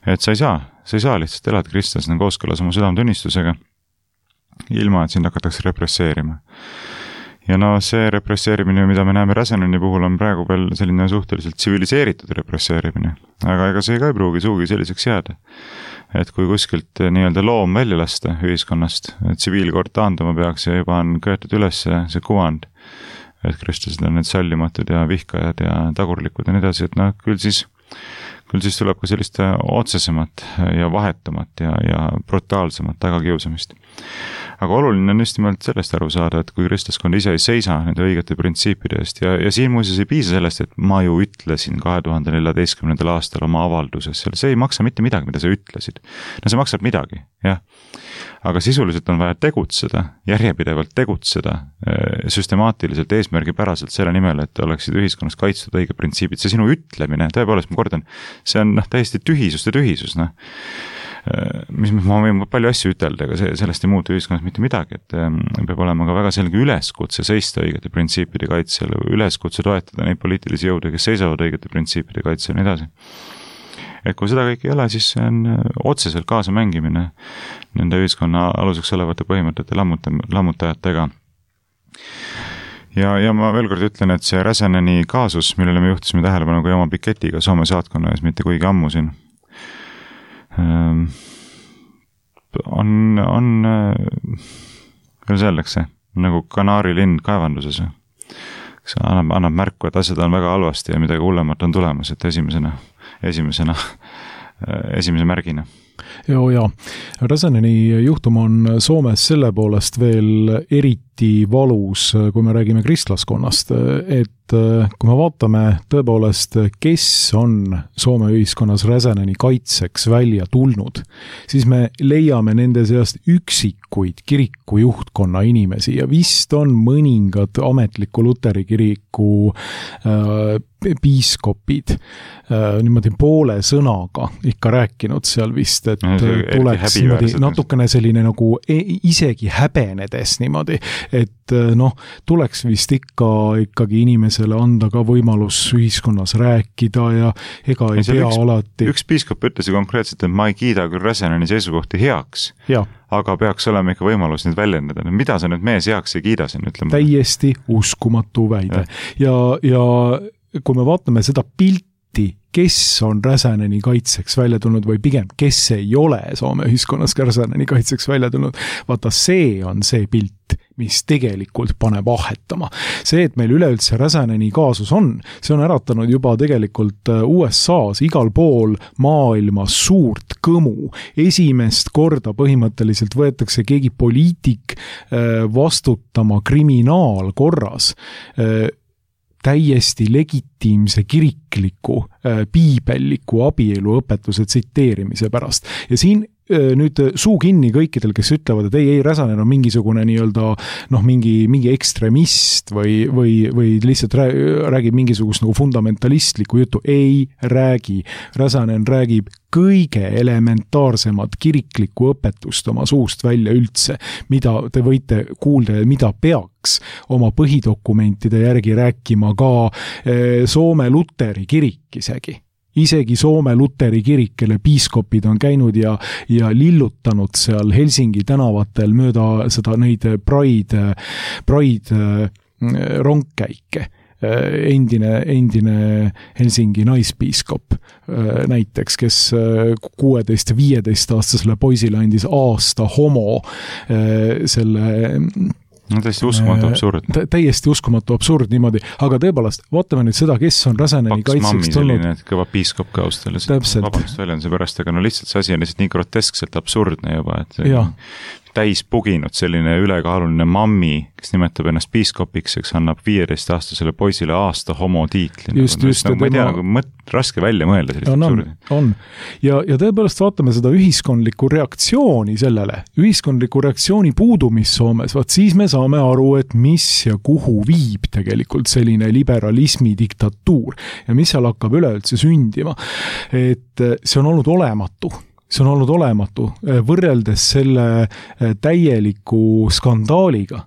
Et sa ei saa lihtsalt elada kristlasena kooskõlas oma südametunnistusega, ilma et sind hakatakse represseerima. Ja see represseerimine, mida me näeme Räseneni puhul, on praegu veel selline suhteliselt tsiviliseeritud represseerimine. Aga ega see ka ei pruugi suugi selliseks jääda. Et kui kuskilt nii-öelda loom välja lasta ühiskonnast, et tsiviilkord taanduma peaks ja juba on köetud üles see kuvand, et kristlased on need sallimatud ja vihkajad ja tagurlikud ja nii edasi, et küll siis tuleb ka sellist otsesemat ja vahetumat ja brutaalsemat tagakiusamist. Aga oluline on just nimelt sellest aru saada, et kui kristlaskond ise ei seisa nende õigete printsiipide eest ja siin muuseas ei piisa sellest, et ma ju ütlesin 2014. aastal oma avalduses, see ei maksa mitte midagi, mida sa ütlesid. No see maksab midagi, jah. Aga sisuliselt on vaja tegutseda, järjepidevalt tegutseda, süstemaatiliselt, eesmärgipäraselt selle nimel, et oleksid ühiskonnas kaitstud õige printsiibid. See sinu ütlemine, tõepoolest ma kordan, see on täiesti tühisus. Mis ma võin palju asju ütelda, aga sellest ei muutu ühiskonnas mitte midagi, et peab olema ka väga selge üleskutse seista õigete printsiipide kaitsel, üleskutse toetada neid poliitilisi jõude, kes seisavad õigete printsiipide kaitsel ja nii edasi. Et kui seda kõik ei ole, siis see on otseselt kaasa mängimine nende ühiskonna aluseks olevate põhimõtete lammutajatega. Ja ma veel kord ütlen, et see Räseneni kaasus, millele me juhtisime tähelepanu ka oma piketiga Soome saatkonna ees mitte kuigi ammu siin, on kuidas öeldakse, nagu kanaarilinn kaevanduses. See annab märku, et asjad on väga halvasti ja midagi hullemat on tulemas, et esimese märgina. Ja Räsäneni juhtum on Soomes selle poolest veel eriti valus, kui me räägime kristlaskonnast, et kui me vaatame tõepoolest, kes on Soome ühiskonnas Räsäneni kaitseks välja tulnud, siis me leiame nende seast üksikuid kiriku juhtkonna inimesi ja vist on mõningad ametliku Luteri kiriku piiskopid niimoodi poole sõnaga ikka rääkinud seal vist, et tuleks niimoodi natukene selline nagu isegi häbenedes niimoodi, et tuleks vist ikkagi inimesele anda ka võimalus ühiskonnas rääkida ja ega ei pea alati. Üks piiskop ütles konkreetselt, et ma ei kiida küll Räsäneni seisukohti heaks, aga peaks olema ikka võimalus neid väljendada. Mida sa nüüd mees heaks ei kiida siin, ütleme? Täiesti uskumatu väide. Ja kui me vaatame seda pilti, kes on Räsäneni kaitseks välja tulnud või pigem, kes ei ole Soome ühiskonnas Räsäneni kaitseks välja tulnud, vaata see on see pilt, mis tegelikult paneb ahetama. See, et meil üleüldse Räsäneni kaasus on, see on äratanud juba tegelikult USA-s igal pool maailmas suurt kõmu. Esimest korda põhimõtteliselt võetakse keegi poliitik vastutama kriminaalkorras täiesti legitiimse kirikliku, piibelliku abieluõpetuse tsiteerimise pärast. Ja siin nüüd suu kinni kõikidel, kes ütlevad, et ei, Räsänen on mingisugune nii-öelda mingi ekstremist või lihtsalt räägib mingisugust nagu fundamentalistlikku juttu. Ei räägi. Räsänen räägib kõige elementaarsemat kiriklikku õpetust oma suust välja üldse, mida te võite kuulda ja mida peaks oma põhidokumentide järgi rääkima ka Soome Luteri kirik isegi Soome Luteri kirik, kelle piiskopid on käinud ja lillutanud seal Helsingi tänavatel mööda seda neid Pride rongkäike. Endine Helsingi naispiiskop näiteks, kes 16-15-aastasele poisile andis aasta homo selle täiesti uskumatu absurd. Täiesti uskumatu absurd niimoodi, aga tõepoolest, vaatame nüüd seda, kes on Räsäneni kaitseks tulnud. Selline kõva piiskop ka austades. Vabandust väljenduse pärast, aga lihtsalt see asi on lihtsalt nii groteskselt absurdne juba, et täis puginud selline ülekaaluline mammi, kes nimetab ennast piiskopiks, eks annab 15-aastasele poisile aasta homo tiitli. Ma ei tea, raske välja mõelda sellist absurdi. On. Ja tõepoolest vaatame seda ühiskondlikku reaktsiooni sellele, ühiskondlikku reaktsiooni puudumist Soomes, siis me saame aru, et mis ja kuhu viib tegelikult selline liberalismi diktatuur ja mis seal hakkab üleüldse sündima. Et see on olnud olematu. See on olnud olematu, võrreldes selle täieliku skandaaliga,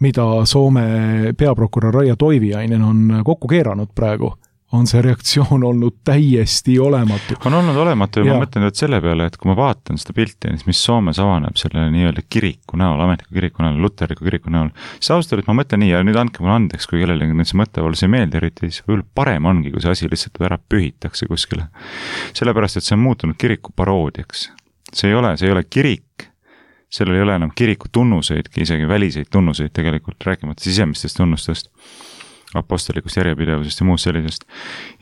mida Soome peaprokurör Raija Toiviainen on kokku keeranud praegu, on see reaktsioon olnud täiesti olematu. On olnud olematu ja ma mõtlen nüüd selle peale, et kui ma vaatan seda pilti, mis Soomes avaneb selle nii-öelda kiriku näol, ametliku kiriku näol, luteriku kiriku näol, siis ausalt, et ma mõtlen nii, ja nüüd andke mulle andeks, kui kellelegi nüüd see mõttevalus ei meeldi eriti, siis võib-olla parem ongi, kui see asi lihtsalt ära pühitakse kuskile. Sellepärast, et see on muutunud kiriku paroodiaks. See ei ole kirik, sellel ei ole enam kiriku tunnuseid, isegi väliseid tunnuseid tegelikult, rääkimata sisemistest tunnustest, apostelikust järjepidevusest ja muust sellisest.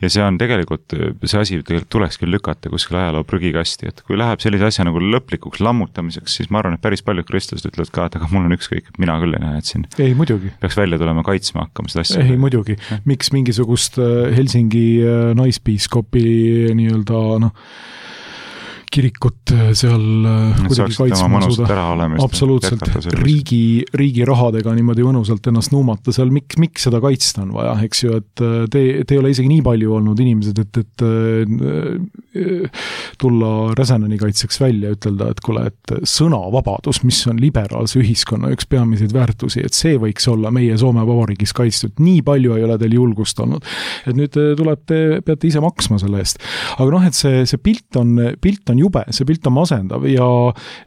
Ja see on tegelikult, see asi tuleks küll lükata kuskil ajaloo prügikasti, et kui läheb sellise asja nagu lõplikuks lammutamiseks, siis ma arvan, et päris paljud kristlased ütlevad ka, et aga mul on ükskõik, et mina küll ei näe, et siin ei, muidugi. Peaks välja tulema kaitsma hakkama seda asja. Ei, muidugi. Miks mingisugust Helsingi naispiiskopi nii-öelda kirikut seal kuidagi kaitsma suuda. Absoluutselt. Riigi rahadega niimoodi mõnusalt ennast nuumata seal. Miks seda kaitsta on vaja, eks ju, et te ei ole isegi nii palju olnud inimesed, et tulla Räsäneni kaitseks välja, ütelda, et kuule, et sõnavabadus, mis on liberaalse ühiskonna üks peamiseid väärtusi, et see võiks olla meie Soome Vabariigis kaitstud. Nii palju ei ole teil julgust olnud. Et nüüd peate ise maksma selle eest. Aga et see pilt on jube, see pilt on masendav ja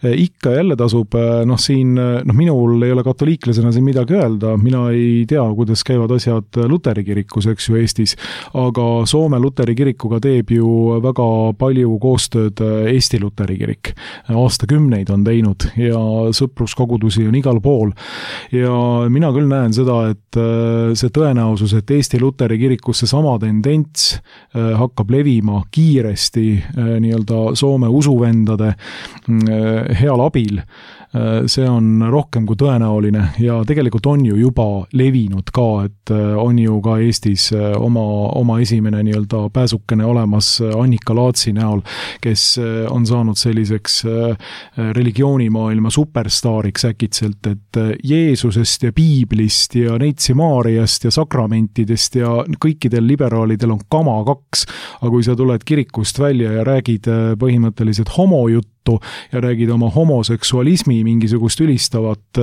ikka jälle tasub, siin, minul ei ole katoliiklasena siin midagi öelda, mina ei tea, kuidas käivad asjad Luteri kirikus, eks ju, Eestis, aga Soome Luteri kirikuga teeb ju väga palju koostööd Eesti Luteri kirik. Aastakümneid on teinud ja sõpruskogudusi on igal pool ja mina küll näen seda, et see tõenäosus, et Eesti Luteri kirikus see sama tendents hakkab levima kiiresti nii-öelda Soome Soome usuvendade heal abil, see on rohkem kui tõenäoline ja tegelikult on ju juba levinud ka, et on ju ka Eestis oma esimene nii-öelda pääsukene olemas Annika Laatsi näol, kes on saanud selliseks religioonimaailma superstaariks äkitselt, et Jeesusest ja Piiblist ja Neitsi Maariast ja sakramentidest ja kõikidel liberaalidel on kama kaks, aga kui sa tuled kirikust välja ja räägid põhimõtteliselt homojuttu ja räägid oma homoseksualismi mingisugust ülistavat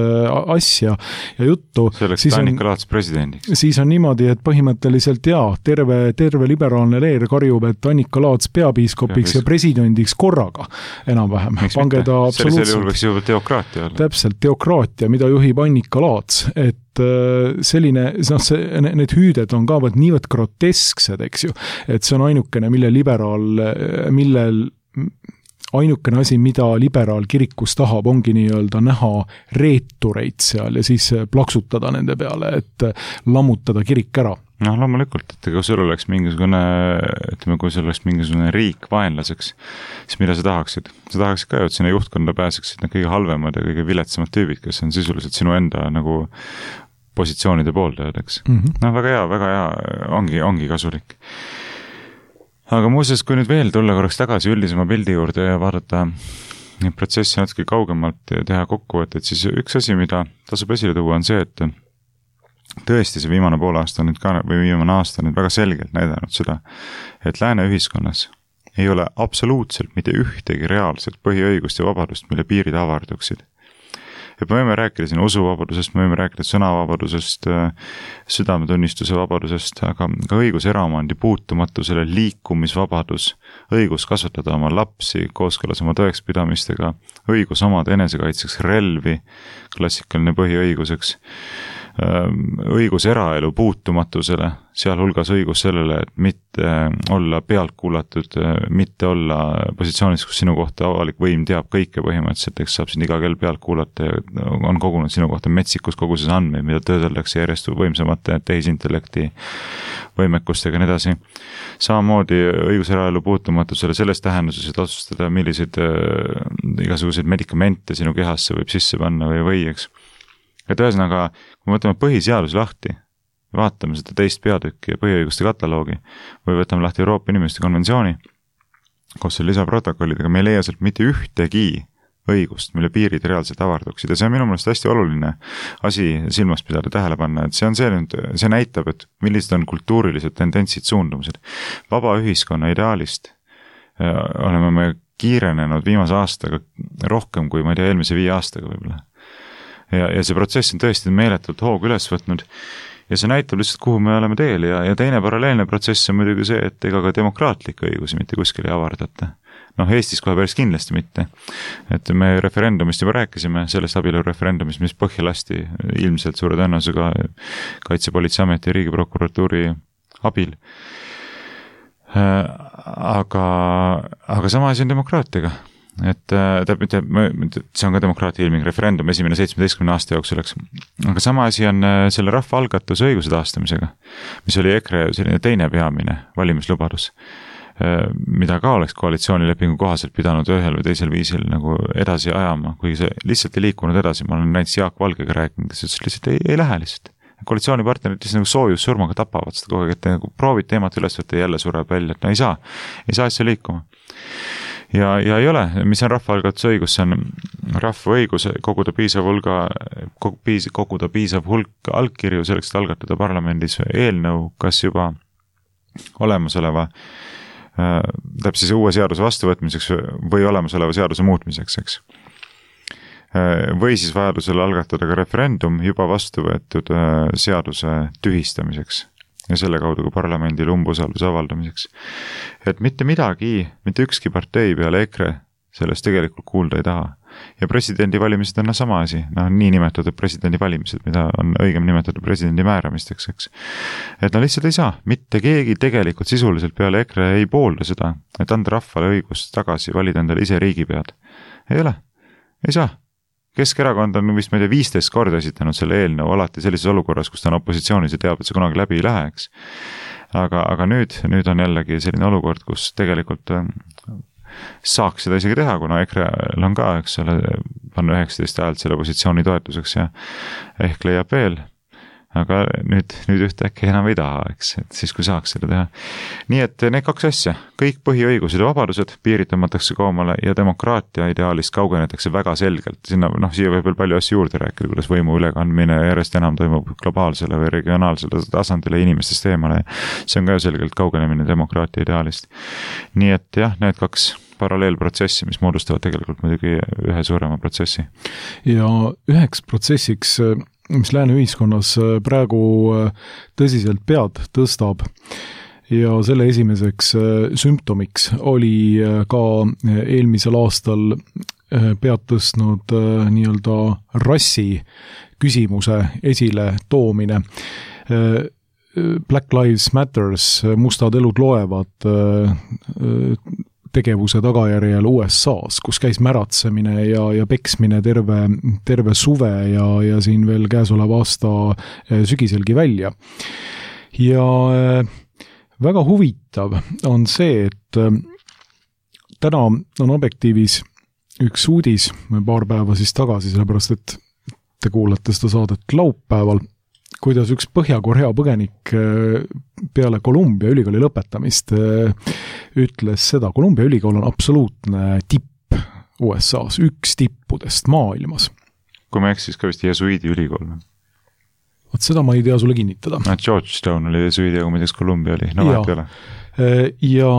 asja ja juttu. Selleks Annika Laats presidendiks. Siis on niimoodi, et põhimõtteliselt terve liberaalne leer karjub, et Annika Laats peapiiskopiks ja presidendiks korraga enam-vähem. Pange ta absoluutselt. Sellisel juhul võiks juba teokraatia olla. Täpselt, teokraatia, mida juhib Annika Laats, et selline, need hüüded on ka niivõrd grotesksed, eks ju, et see on ainukene, ainukene asi, mida liberaal kirikus tahab, ongi nii-öelda näha reetureid seal ja siis plaksutada nende peale, et lammutada kirik ära. No loomulikult, et kui sul oleks mingisugune riik vaenlaseks, siis mida sa tahaksid? Sa tahaksid ka ju, et sinna juhtkonda pääseksid need kõige halvemad ja kõige viletsamad tüübid, kes on sisuliselt sinu enda nagu positsioonide pooldajad, eks. No väga hea, ongi kasulik. Aga muuseas, kui nüüd veel tulla korraks tagasi üldisema pildi juurde ja vaadata neid protsessi natuke kaugemalt ja teha kokkuvõtted, siis üks asi, mida tasub esile tuua, on see, et tõesti see viimane aasta nüüd väga selgelt näidanud seda, et lääne ühiskonnas ei ole absoluutselt mitte ühtegi reaalset põhiõigust ja vabadust, mille piirid avarduksid. Et me võime rääkida siin usuvabadusest, me võime rääkida sõnavabadusest, südametunnistuse vabadusest, aga ka õigus eraomandi puutumatusele, liikumisvabadus, õigus kasvatada oma lapsi kooskõlas oma tõekspidamistega, õigus omada enesekaitseks relvi, klassikaline põhiõiguseks, õigus eraelu puutumatusele, sealhulgas õigus sellele, et mitte olla pealt kuulatud, mitte olla positsioonis, kus sinu kohta avalik võim teab kõike põhimõtteliselt, eks saab sind iga kell pealt kuulata ja on kogunud sinu kohta metsikus koguses andmeid, mida töödeldakse järjest võimsamate tehisintellekti võimekustega ja nii edasi. Samamoodi õigus eraelu puutumatusele selles tähenduses, et otsustada, milliseid igasuguseid medikamente sinu kehasse võib sisse panna või eks. Et ühesõnaga, kui võtame põhiseadus lahti, vaatame seda teist peatükki ja põhiõiguste kataloogi või võtame lahti Euroopa Inimeste konventsiooni, koos selle lisaprotokollidega, me ei leia sealt mitte ühtegi õigust, mille piirid reaalselt avarduksid ja see on minu meelest hästi oluline asi silmas pidada tähele panna, et see näitab, et millised on kultuurilised tendentsid, suundumused. Vaba ühiskonna ideaalist oleme me kiirenenud viimase aastaga rohkem kui, ma ei tea, eelmise 5 aastaga võib-olla. Ja see protsess on tõesti meeletult hoogu üles võtnud ja see näitab lihtsalt, kuhu me oleme teel ja teine paralleelne protsess on muidugi see, et ega ka demokraatlikke õigusi mitte kuskil ei avardata. Eestis kohe päris kindlasti mitte. Et me referendumist juba rääkisime, sellest abielureferendumist, mis põhja lasti ilmselt suure tõenäosusega Kaitsepolitseiameti ja Riigiprokuratuuri abil. Aga sama asi on demokraatiaga. Et see on ka demokraatia ilming referendum esimene 17 aasta jooksul, aga sama asi on selle rahvaalgatuse õiguse taastamisega, mis oli EKRE selline teine peamine valimislubadus, mida ka oleks koalitsioonilepingu kohaselt pidanud ühel või teisel viisil nagu edasi ajama, kuigi see lihtsalt ei liikunud edasi. Ma olen näiteks Jaak Valgega rääkinud, kes lihtsalt ei lähe lihtsalt. Koalitsioonipartnerid lihtsalt nagu soojussurmaga tapavad seda kogu aeg, et nagu proovid teemat üles võtta ja jälle sureb välja, et ei saa asja liikuma. Ja ei ole, mis on rahvaalgatuse õigus, see on rahva õigus koguda piisav hulk allkirju selleks, et algatada parlamendis eelnõu, kas juba olemasoleva täpselt siis uue seaduse vastuvõtmiseks või olemasoleva seaduse muutmiseks, eks. Või siis vajadusel algatada ka referendum juba vastu võetud seaduse tühistamiseks ja selle kaudu ka parlamendil umbusalduse avaldamiseks. Et mitte midagi, mitte ükski partei peale EKRE sellest tegelikult kuulda ei taha. Ja presidendi valimised on sama asi, nii nimetatud presidendi valimised, mida on õigem nimetatud presidendi määramisteks, eks. Et lihtsalt ei saa, mitte keegi tegelikult sisuliselt peale EKRE ei poolda seda, et anda rahvale õigust tagasi valida endale ise riigipead. Ei ole, ei saa. Keskerakond on vist, ma ei tea, 15 korda esitanud selle eelnõu alati sellises olukorras, kus ta on opositsioonis ja teab, et see kunagi läbi ei läheks. Aga nüüd on jällegi selline olukord, kus tegelikult saaks seda isegi teha, kuna EKRE-l on ka, eks ole, panna 19 häält selle positsiooni toetuseks ja ehk leiab veel. Aga nüüd ühtäkki enam ei taha, eks, et siis kui saaks seda teha. Nii et need kaks asja, kõik põhiõigused ja vabadused piiritamatakse koomale ja demokraatia ideaalist kaugenetakse väga selgelt. Sinna, siia võib veel palju asju juurde rääkida, kuidas võimu ülekandmine järjest enam toimub globaalsele või regionaalsele tasandile inimestest eemale. See on ka selgelt kaugenemine demokraatia ideaalist. Nii et jah, need kaks paralleelprotsessi, mis moodustavad tegelikult muidugi ühe suurema protsessi. Ja üheks protsessiks, mis lääne ühiskonnas praegu tõsiselt pead tõstab ja selle esimeseks sümptomiks oli ka eelmisel aastal pead tõstnud nii-öelda rassi küsimuse esile toomine. Black Lives Matters, mustad elud loevad tegevuse tagajärjel USAs, kus käis märatsemine ja peksmine terve suve ja siin veel käesoleva aasta sügiselgi välja. Ja väga huvitav on see, et täna on Objektiivis üks uudis, paar päeva siis tagasi, sellepärast et te kuulate seda saadet laupäeval, kuidas üks Põhja-Korea põgenik peale Columbia ülikooli lõpetamist ütles seda. Columbia ülikool on absoluutne tipp USAs, üks tippudest maailmas. Kui ma eksis ka vist jesuiidi ülikool. Vot seda ma ei tea sulle kinnitada. Georgetown oli jesuiidi, aga ma teaks Columbia oli. No vahet peale. Ja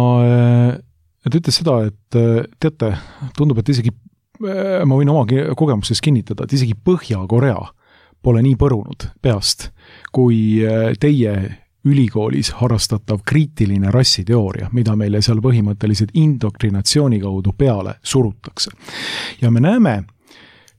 ta ütles seda, et teate, tundub, et isegi ma võin oma kogemustes kinnitada, et isegi Põhja-Korea pole nii põrunud peast, kui teie ülikoolis harrastatav kriitiline rassiteooria, mida meile seal põhimõtteliselt indoktrinatsiooni kaudu peale surutakse. Ja me näeme,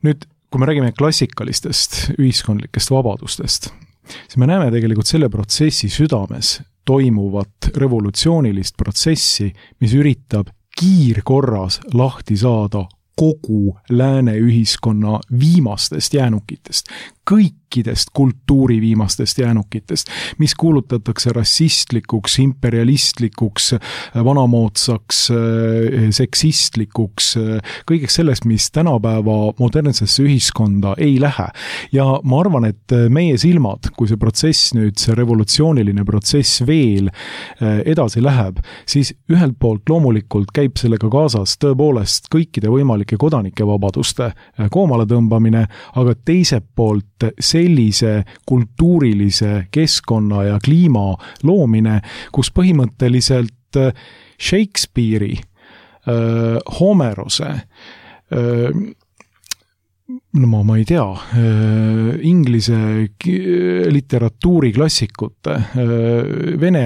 nüüd kui me räägime klassikalistest ühiskondlikest vabadustest, siis me näeme tegelikult selle protsessi südames toimuvat revolutsioonilist protsessi, mis üritab kiirkorras lahti saada kogu lääne ühiskonna viimastest jäänukitest, kõikidest kultuuri viimastest jäänukitest, mis kuulutatakse rassistlikuks, imperialistlikuks, vanamoodsaks, seksistlikuks, kõigeks sellest, mis tänapäeva modernsesse ühiskonda ei lähe. Ja ma arvan, et meie silmad, kui see protsess nüüd, see revolutsiooniline protsess veel edasi läheb, siis ühelt poolt loomulikult käib sellega kaasas tõepoolest kõikide võimalike kodanike vabaduste koomale tõmbamine, aga teiselt poolt sellise kultuurilise keskkonna ja kliima loomine, kus põhimõtteliselt Shakespeare'i, Homerose, no ma ei tea, inglise literatuuriklassikute, vene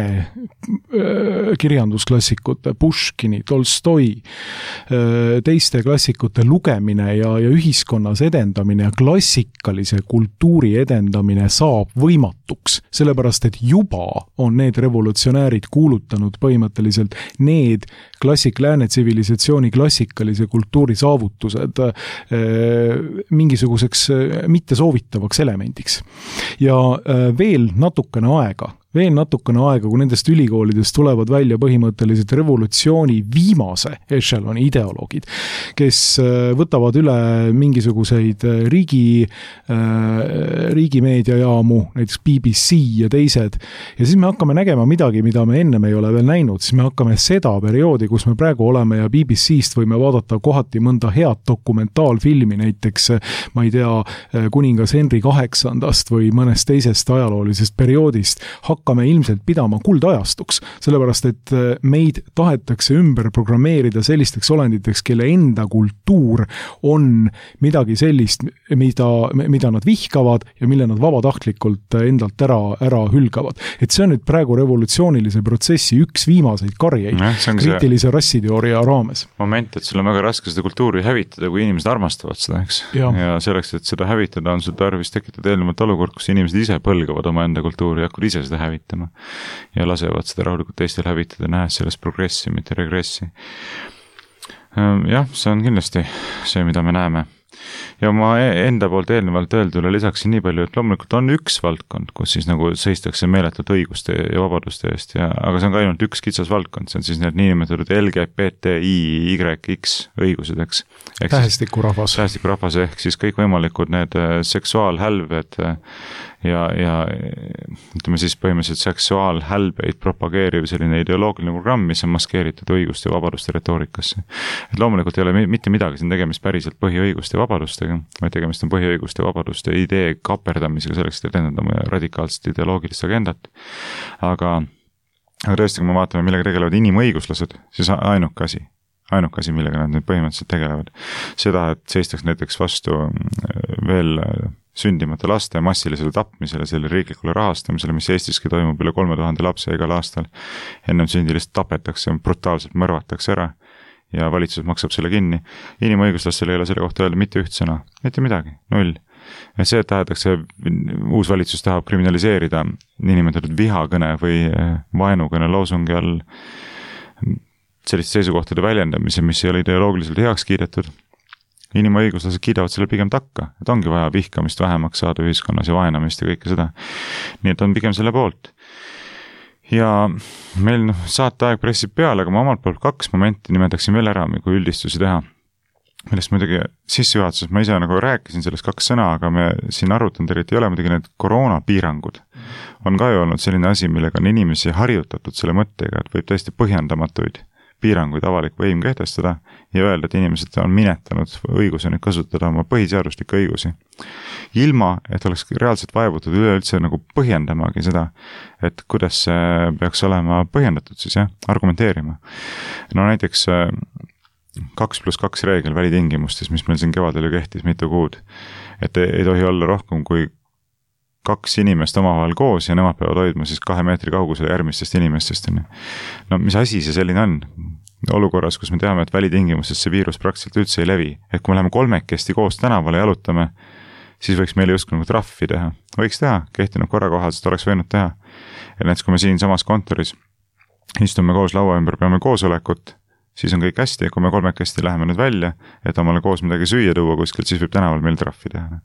kirjandusklassikute, Puškini, Tolstoi, teiste klassikute lugemine ja ühiskonnas edendamine ja klassikalise kultuuri edendamine saab võimatuks, sellepärast et juba on need revolutsionäärid kuulutanud põhimõtteliselt need lääne tsivilisatsiooni klassikalise kultuuri saavutused mingisuguseks mittesoovitavaks elemendiks. Ja veel natukene aega, kui nendest ülikoolidest tulevad välja põhimõtteliselt revolutsiooni viimase ešeloni ideoloogid, kes võtavad üle mingisuguseid riigimeediajaamu, näiteks BBC ja teised, ja siis me hakkame nägema midagi, mida me ennem ei ole veel näinud, siis me hakkame seda perioodi, kus me praegu oleme ja BBC-st võime vaadata kohati mõnda head dokumentaalfilmi, näiteks, ma ei tea, kuningas Henry VIII või mõnest teisest ajaloolisest perioodist, hakkame ilmselt pidama kuldajastuks, sellepärast et meid tahetakse ümber programmeerida sellisteks olenditeks, kelle enda kultuur on midagi sellist, mida nad vihkavad ja mille nad vabatahtlikult endalt ära hülgavad. Et see on nüüd praegu revolutsioonilise protsessi üks viimaseid karjeid kriitilise rassiteooria raames. Moment, et sul on väga raske seda kultuuri hävitada, kui inimesed armastavad seda, eks? Ja selleks, et seda hävitada, on sul tarvis tekitada eelnevalt olukord, kus inimesed ise põlgavad oma enda kultuuri ja hakkavad ise seda hävitama ja lasevad seda rahulikult teistel hävitada, nähes sellest progressi, mitte regressi. Jah, see on kindlasti see, mida me näeme. Ja ma enda poolt eelnevalt öeldule lisaksin nii palju, et loomulikult on üks valdkond, kus siis nagu seistakse meeletult õiguste ja vabaduste eest, aga see on ka ainult üks kitsas valdkond, see on siis need niinimetatud LGBTIYX õigused, eks. Tähestikurahvas ehk siis kõikvõimalikud need seksuaalhälved ja ütleme siis põhimõtteliselt seksuaalhälbeid propageeriv selline ideoloogiline programm, mis on maskeeritud õiguste ja vabaduste retoorikasse. Et loomulikult ei ole mitte midagi siin tegemist päriselt põhiõiguste ja vabadustega, vaid tegemist on põhiõiguste ja vabaduste idee kaperdamisega selleks, et edendama radikaalset ideoloogilist agendat. Aga tõesti, kui me vaatame, millega tegelevad inimõiguslased, siis ainuke asi, millega nad nüüd põhimõtteliselt tegelevad. Seda, et seistaks näiteks vastu veel sündimata laste massilisele tapmisele, selle riiklikule rahastamisele, mis Eestiski toimub üle 3000 lapse igal aastal. Ennem sündi lihtsalt tapetakse, brutaalselt mõrvatakse ära ja valitsus maksab selle kinni. Inimõiguslastel ei ole selle kohta öelda mitte üht sõna, mitte midagi, 0. Ja see, et tahetakse, uus valitsus tahab kriminaliseerida niinimetatud vihakõne või vaenukõne loosungi all selliste seisukohtade väljendamise, mis ei ole ideoloogiliselt heaks kiidetud. Inimõiguslased kiidavad selle pigem takka, et ongi vaja vihkamist vähemaks saada ühiskonnas ja vaenamist ja kõike seda. Nii et on pigem selle poolt. Ja meil saateaeg pressib peale, aga ma omalt poolt 2 momenti nimetaksin veel ära, kui üldistusi teha. Millest muidugi sissejuhatuses ma ise nagu rääkisin sellest 2 sõna, aga me siin arutanud eriti ei ole, muidugi need koroonapiirangud on ka ju olnud selline asi, millega on inimesi harjutatud selle mõttega, et võib täiesti põhjendamatuid piiranguid avalik võim kehtestada ja öelda, et inimesed on minetanud õiguse nüüd kasutada oma põhiseaduslikke õigusi. Ilma, et oleks reaalselt vaevutud üleüldse nagu põhjendamagi seda, et kuidas see peaks olema põhjendatud siis, argumenteerima. No näiteks 2+2 reegel välitingimustes, mis meil siin kevadel ju kehtis mitu kuud, et ei tohi olla rohkem kui 2 inimest omavahel koos ja nemad peavad hoidma siis 2 meetri kaugusele järgmistest inimestest. No mis asi see selline on? Olukorras, kus me teame, et välitingimustes see viirus praktiliselt üldse ei levi. Et kui me läheme 3 koos tänavale jalutame, siis võiks meile justkui nagu trahvi teha. Võiks teha, kehtinud korrakohaliselt oleks võinud teha. Ja näiteks, kui me siin samas kontoris istume koos laua ümber, peame koosolekut, siis on kõik hästi, kui me 3 läheme nüüd välja, et omale koos midagi süüa tuua kuskilt, siis võib tänaval meil trahvi teha.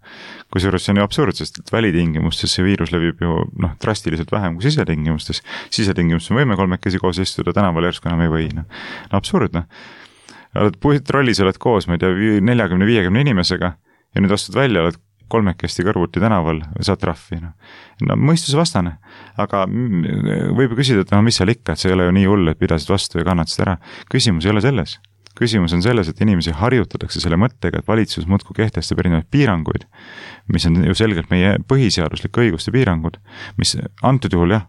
Kusjuures see on ju absurd, sest et välitingimustes see viirus levib ju drastiliselt vähem kui sisetingimustes. Sisetingimustes me võime 3 koos istuda, tänaval järsku enam ei või. No absurd, Oled puitrollis, oled koos, ma ei tea, 40-50 inimesega ja nüüd astud välja, oled 3 kõrvuti tänaval, saad trahvi. No mõistuse vastane, aga võib küsida, et mis seal ikka, et see ei ole ju nii hull, et pidasid vastu ja kannatasid ära. Küsimus ei ole selles. Küsimus on selles, et inimesi harjutatakse selle mõttega, et valitsus muudkui kehtestab erinevaid piiranguid, mis on ju selgelt meie põhiseaduslike õiguste piirangud, mis antud juhul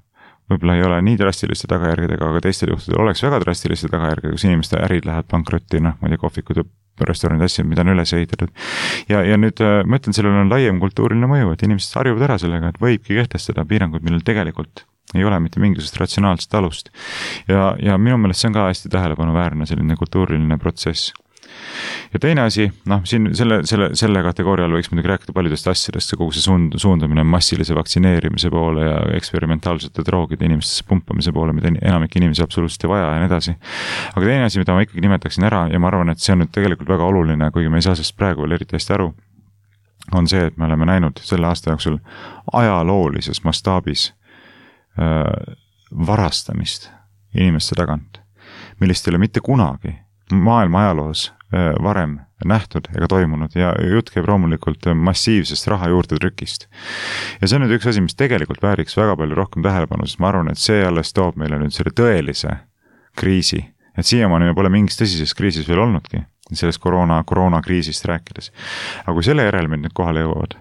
võib-olla ei ole nii drastiliste tagajärgedega, aga teistel juhtudel oleks väga drastiliste tagajärgedega, kus inimeste ärid lähevad pankrotti, ma ei tea, kohvikud ja restoranid, asjad, mida on üles ehitatud. Ja nüüd ma ütlen, sellel on laiem kultuuriline mõju, et inimesed harjuvad ära sellega, et võibki kehtestada piirangud, millel tegelikult ei ole mitte mingisugust ratsionaalset alust. Ja minu meelest see on ka hästi tähelepanuväärne selline kultuuriline protsess. Ja teine asi, siin selle kategooria all võiks muidugi rääkida paljudest asjadest, kogu see suundumine massilise vaktsineerimise poole ja eksperimentaalsete droogide inimestesse pumpamise poole, mida enamik inimesi absoluutselt ei vaja ja nii edasi. Aga teine asi, mida ma ikkagi nimetaksin ära ja ma arvan, et see on nüüd tegelikult väga oluline, kuigi me ei saa sellest praegu veel eriti hästi aru, on see, et me oleme näinud selle aasta jooksul ajaloolises mastaabis varastamist inimeste tagant, millest ei ole mitte kunagi maailma ajaloos varem nähtud ega toimunud ja jutt käib loomulikult massiivsest raha juurde trükist. Ja see on nüüd üks asi, mis tegelikult vääriks väga palju rohkem tähelepanu, sest ma arvan, et see alles toob meile nüüd selle tõelise kriisi. Et siiamaani me pole mingis tõsises kriisis veel olnudki, sellest koroonakriisist rääkides. Aga kui selle järelmid nüüd kohale jõuavad,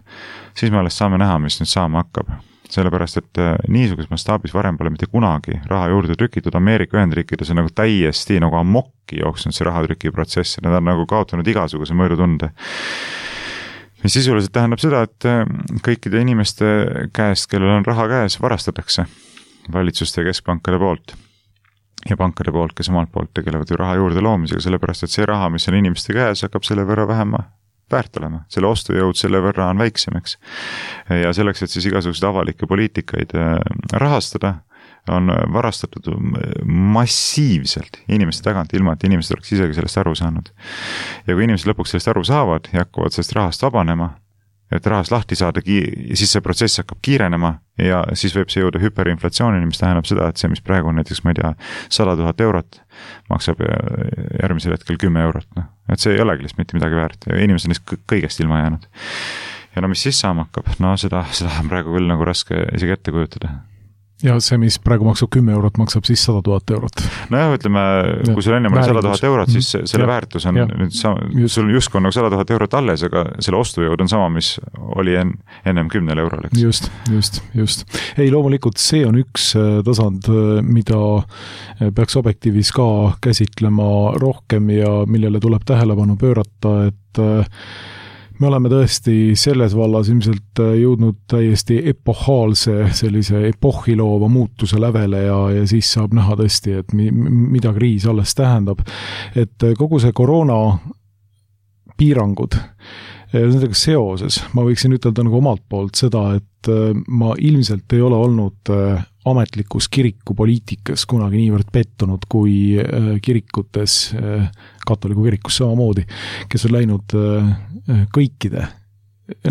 siis me alles saame näha, mis nüüd saama hakkab. Sellepärast, et niisuguses mastaabis varem pole mitte kunagi raha juurde trükitud. Ameerika Ühendriikides on nagu täiesti nagu amokki jooksnud see rahatrüki protsess. Nad on nagu kaotanud igasuguse mõõdutunde. Mis sisuliselt tähendab seda, et kõikide inimeste käest, kellel on raha käes, varastatakse valitsuste ja keskpankade poolt. Ja pankade poolt, kes omalt poolt tegelevad ju raha juurde loomisega, sellepärast, et see raha, mis on inimeste käes, hakkab selle võrra vähema väärt olema. Selle ostujõud selle võrra on väiksemaks. Ja selleks, et siis igasuguseid avalikke poliitikaid rahastada, on varastatud massiivselt inimeste tagant, ilma et inimesed oleks isegi sellest aru saanud. Ja kui inimesed lõpuks sellest aru saavad ja hakkavad sellest rahast vabanema, et rahast lahti saada, siis see protsess hakkab kiirenema ja siis võib see jõuda hüperinflatsioonini, mis tähendab seda, et see, mis praegu on näiteks, ma ei tea, 100 000 eurot, maksab järgmisel hetkel 10 eurot. No. Et see ei olegi lihtsalt mitte midagi väärt ja inimesed on lihtsalt kõigest ilma jäänud. Ja no mis siis saama hakkab? No seda on praegu küll nagu raske isegi ette kujutada. Ja see, mis praegu maksab 10 eurot, maksab siis 100 000 eurot. No jah, ütleme, kui sul enne 100 000 eurot, siis selle väärtus on nüüd sul justkui on nagu 100 000 eurot alles, aga selle ostujõud on sama, mis oli ennem 10 eurol. Just. Ei, loomulikult see on üks tasand, mida peaks objektiivis ka käsitlema rohkem ja millele tuleb tähelepanu pöörata, et me oleme tõesti selles vallas ilmselt jõudnud täiesti epohaalse sellise epohhiloova muutuse lävele ja siis saab näha tõesti, et mida kriis alles tähendab. Et kogu see koroona piirangud, nendega seoses ma võiksin ütelda nagu omalt poolt seda, et ma ilmselt ei ole olnud ametlikus kirikupoliitikas kunagi niivõrd pettunud kui kirikutes, katoliku kirikus samamoodi, kes on läinud kõikide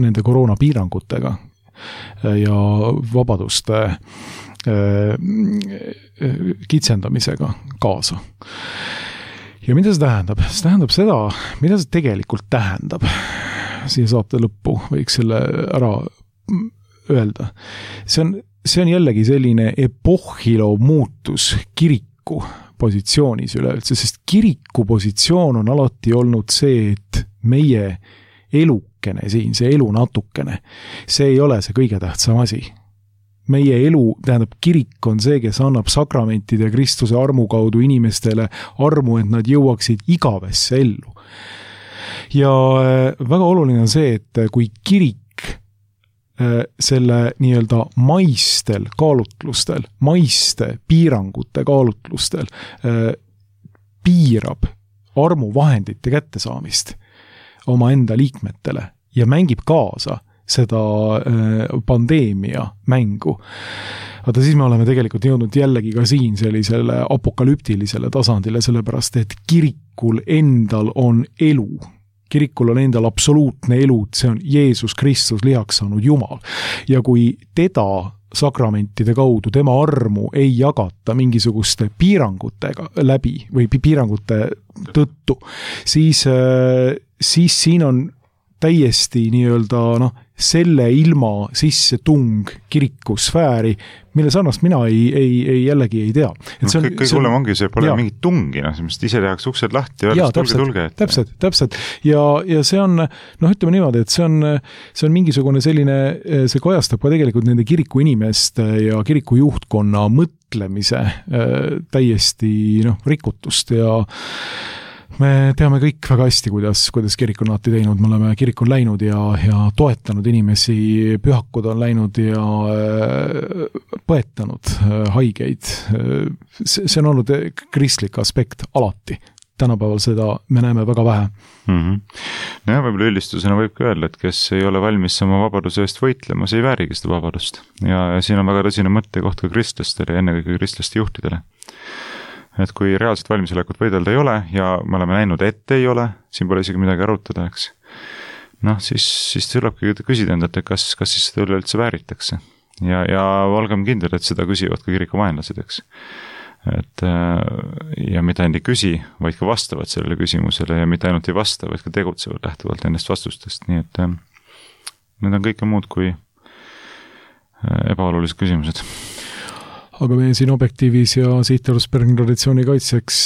nende koroonapiirangutega ja vabaduste kitsendamisega kaasa. Ja mida see tähendab? See tähendab seda, mida see tegelikult tähendab. Siia saate lõppu võiks selle ära öelda. See on jällegi selline epohhilov muutus kiriku positsioonis üleüldse, sest kiriku positsioon on alati olnud see, et meie elukene siin, see elu natukene, see ei ole see kõige tähtsam asi. Meie elu, tähendab, kirik on see, kes annab sakramentide Kristuse armu kaudu inimestele armu, et nad jõuaksid igavesse ellu. Ja väga oluline on see, et kui kirik selle nii-öelda maistel kaalutlustel, maiste piirangute kaalutlustel piirab armuvahendite kättesaamist oma enda liikmetele ja mängib kaasa seda pandeemia mängu. Aga siis me oleme tegelikult jõudnud jällegi ka siin sellisele apokalüptilisele tasandile, sellepärast et kirikul endal on elu. Kirikul on endal absoluutne elu, see on Jeesus Kristus lihaks saanud Jumal. Ja kui teda sakramentide kaudu, tema armu ei jagata mingisuguste piirangutega läbi või piirangute tõttu, siis siin on täiesti nii-öelda selle ilma sisse tung kirikusfääri, mille sarnast mina jällegi ei tea. Kõige hullem ongi see, pole mingit tungi, ise tehakse uksed lahti ja öeldakse tulge. Täpselt. Ja see on, ütleme niimoodi, et see on mingisugune selline, see kajastab ka tegelikult nende kiriku inimeste ja kiriku juhtkonna mõtlemise täiesti rikutust ja me teame kõik väga hästi, kuidas kirik on alati teinud. Me oleme kirikul läinud ja toetanud inimesi, pühakud on läinud ja põetanud haigeid. See on olnud kristlik aspekt alati. Tänapäeval seda me näeme väga vähe. Ja võib-olla üldistusena võib ka öelda, et kes ei ole valmis oma vabaduse eest võitlema, see ei väärigi seda vabadust. Ja siin on väga tõsine mõttekoht ka kristlastele ja ennekõike kristlaste juhtidele. Et kui reaalselt valmisolekut võidelda ei ole ja me oleme näinud, et ei ole, siin pole isegi midagi arutada, eks. Siis tulebki küsida endalt, et kas siis seda üleüldse vääritakse. Ja olgem kindlad, et seda küsivad ka kiriku vaenlased, eks. Ja mitte ainult ei küsi, vaid ka vastavad sellele küsimusele ja mitte ainult ei vasta, vaid ka tegutsevad lähtuvalt nendest vastustest. Nii et need on kõike muud kui ebaolulised küsimused. Aga me siin objektiivis ja Sihtarvuspergni traditsiooni kaitseks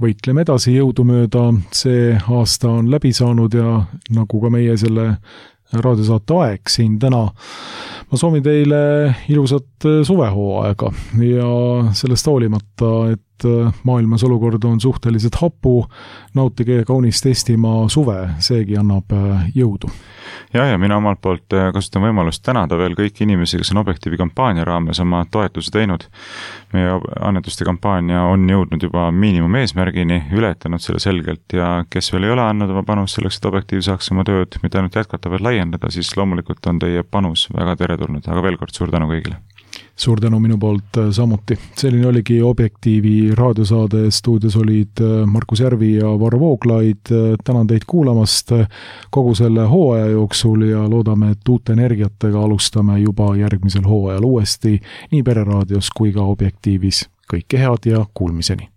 võitleme edasi jõudumööda. See aasta on läbi saanud ja nagu ka meie selle raadiosaate aeg siin täna. Ma soovin teile ilusat suvehooaega ja sellest hoolimata, et maailmas olukord on suhteliselt hapu, nautige kaunist Eestimaa suve, seegi annab jõudu. Ja mina omalt poolt kasutan võimalust tänada veel kõiki inimesi, kes on Objektiivi kampaania raames oma toetuse teinud. Meie annetuste kampaania on jõudnud juba miinimum eesmärgini, ületanud selle selgelt ja kes veel ei ole andnud oma panus selleks, et Objektiiv saaks oma tööd mitte ainult jätkata, vaid laiendada, siis loomulikult on teie panus väga teretulnud, aga veel kord suur tänu kõigile. suur tänu minu poolt samuti. Selline oligi Objektiivi raadiosaade, stuudios olid Markus Järvi ja Varro Vooglaid. Tänan teid kuulamast kogu selle hooaja jooksul ja loodame, et uute energiatega alustame juba järgmisel hooajal uuesti nii Pereraadios kui ka Objektiivis. Kõike head ja kuulmiseni!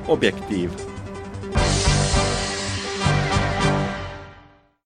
Objektiiv.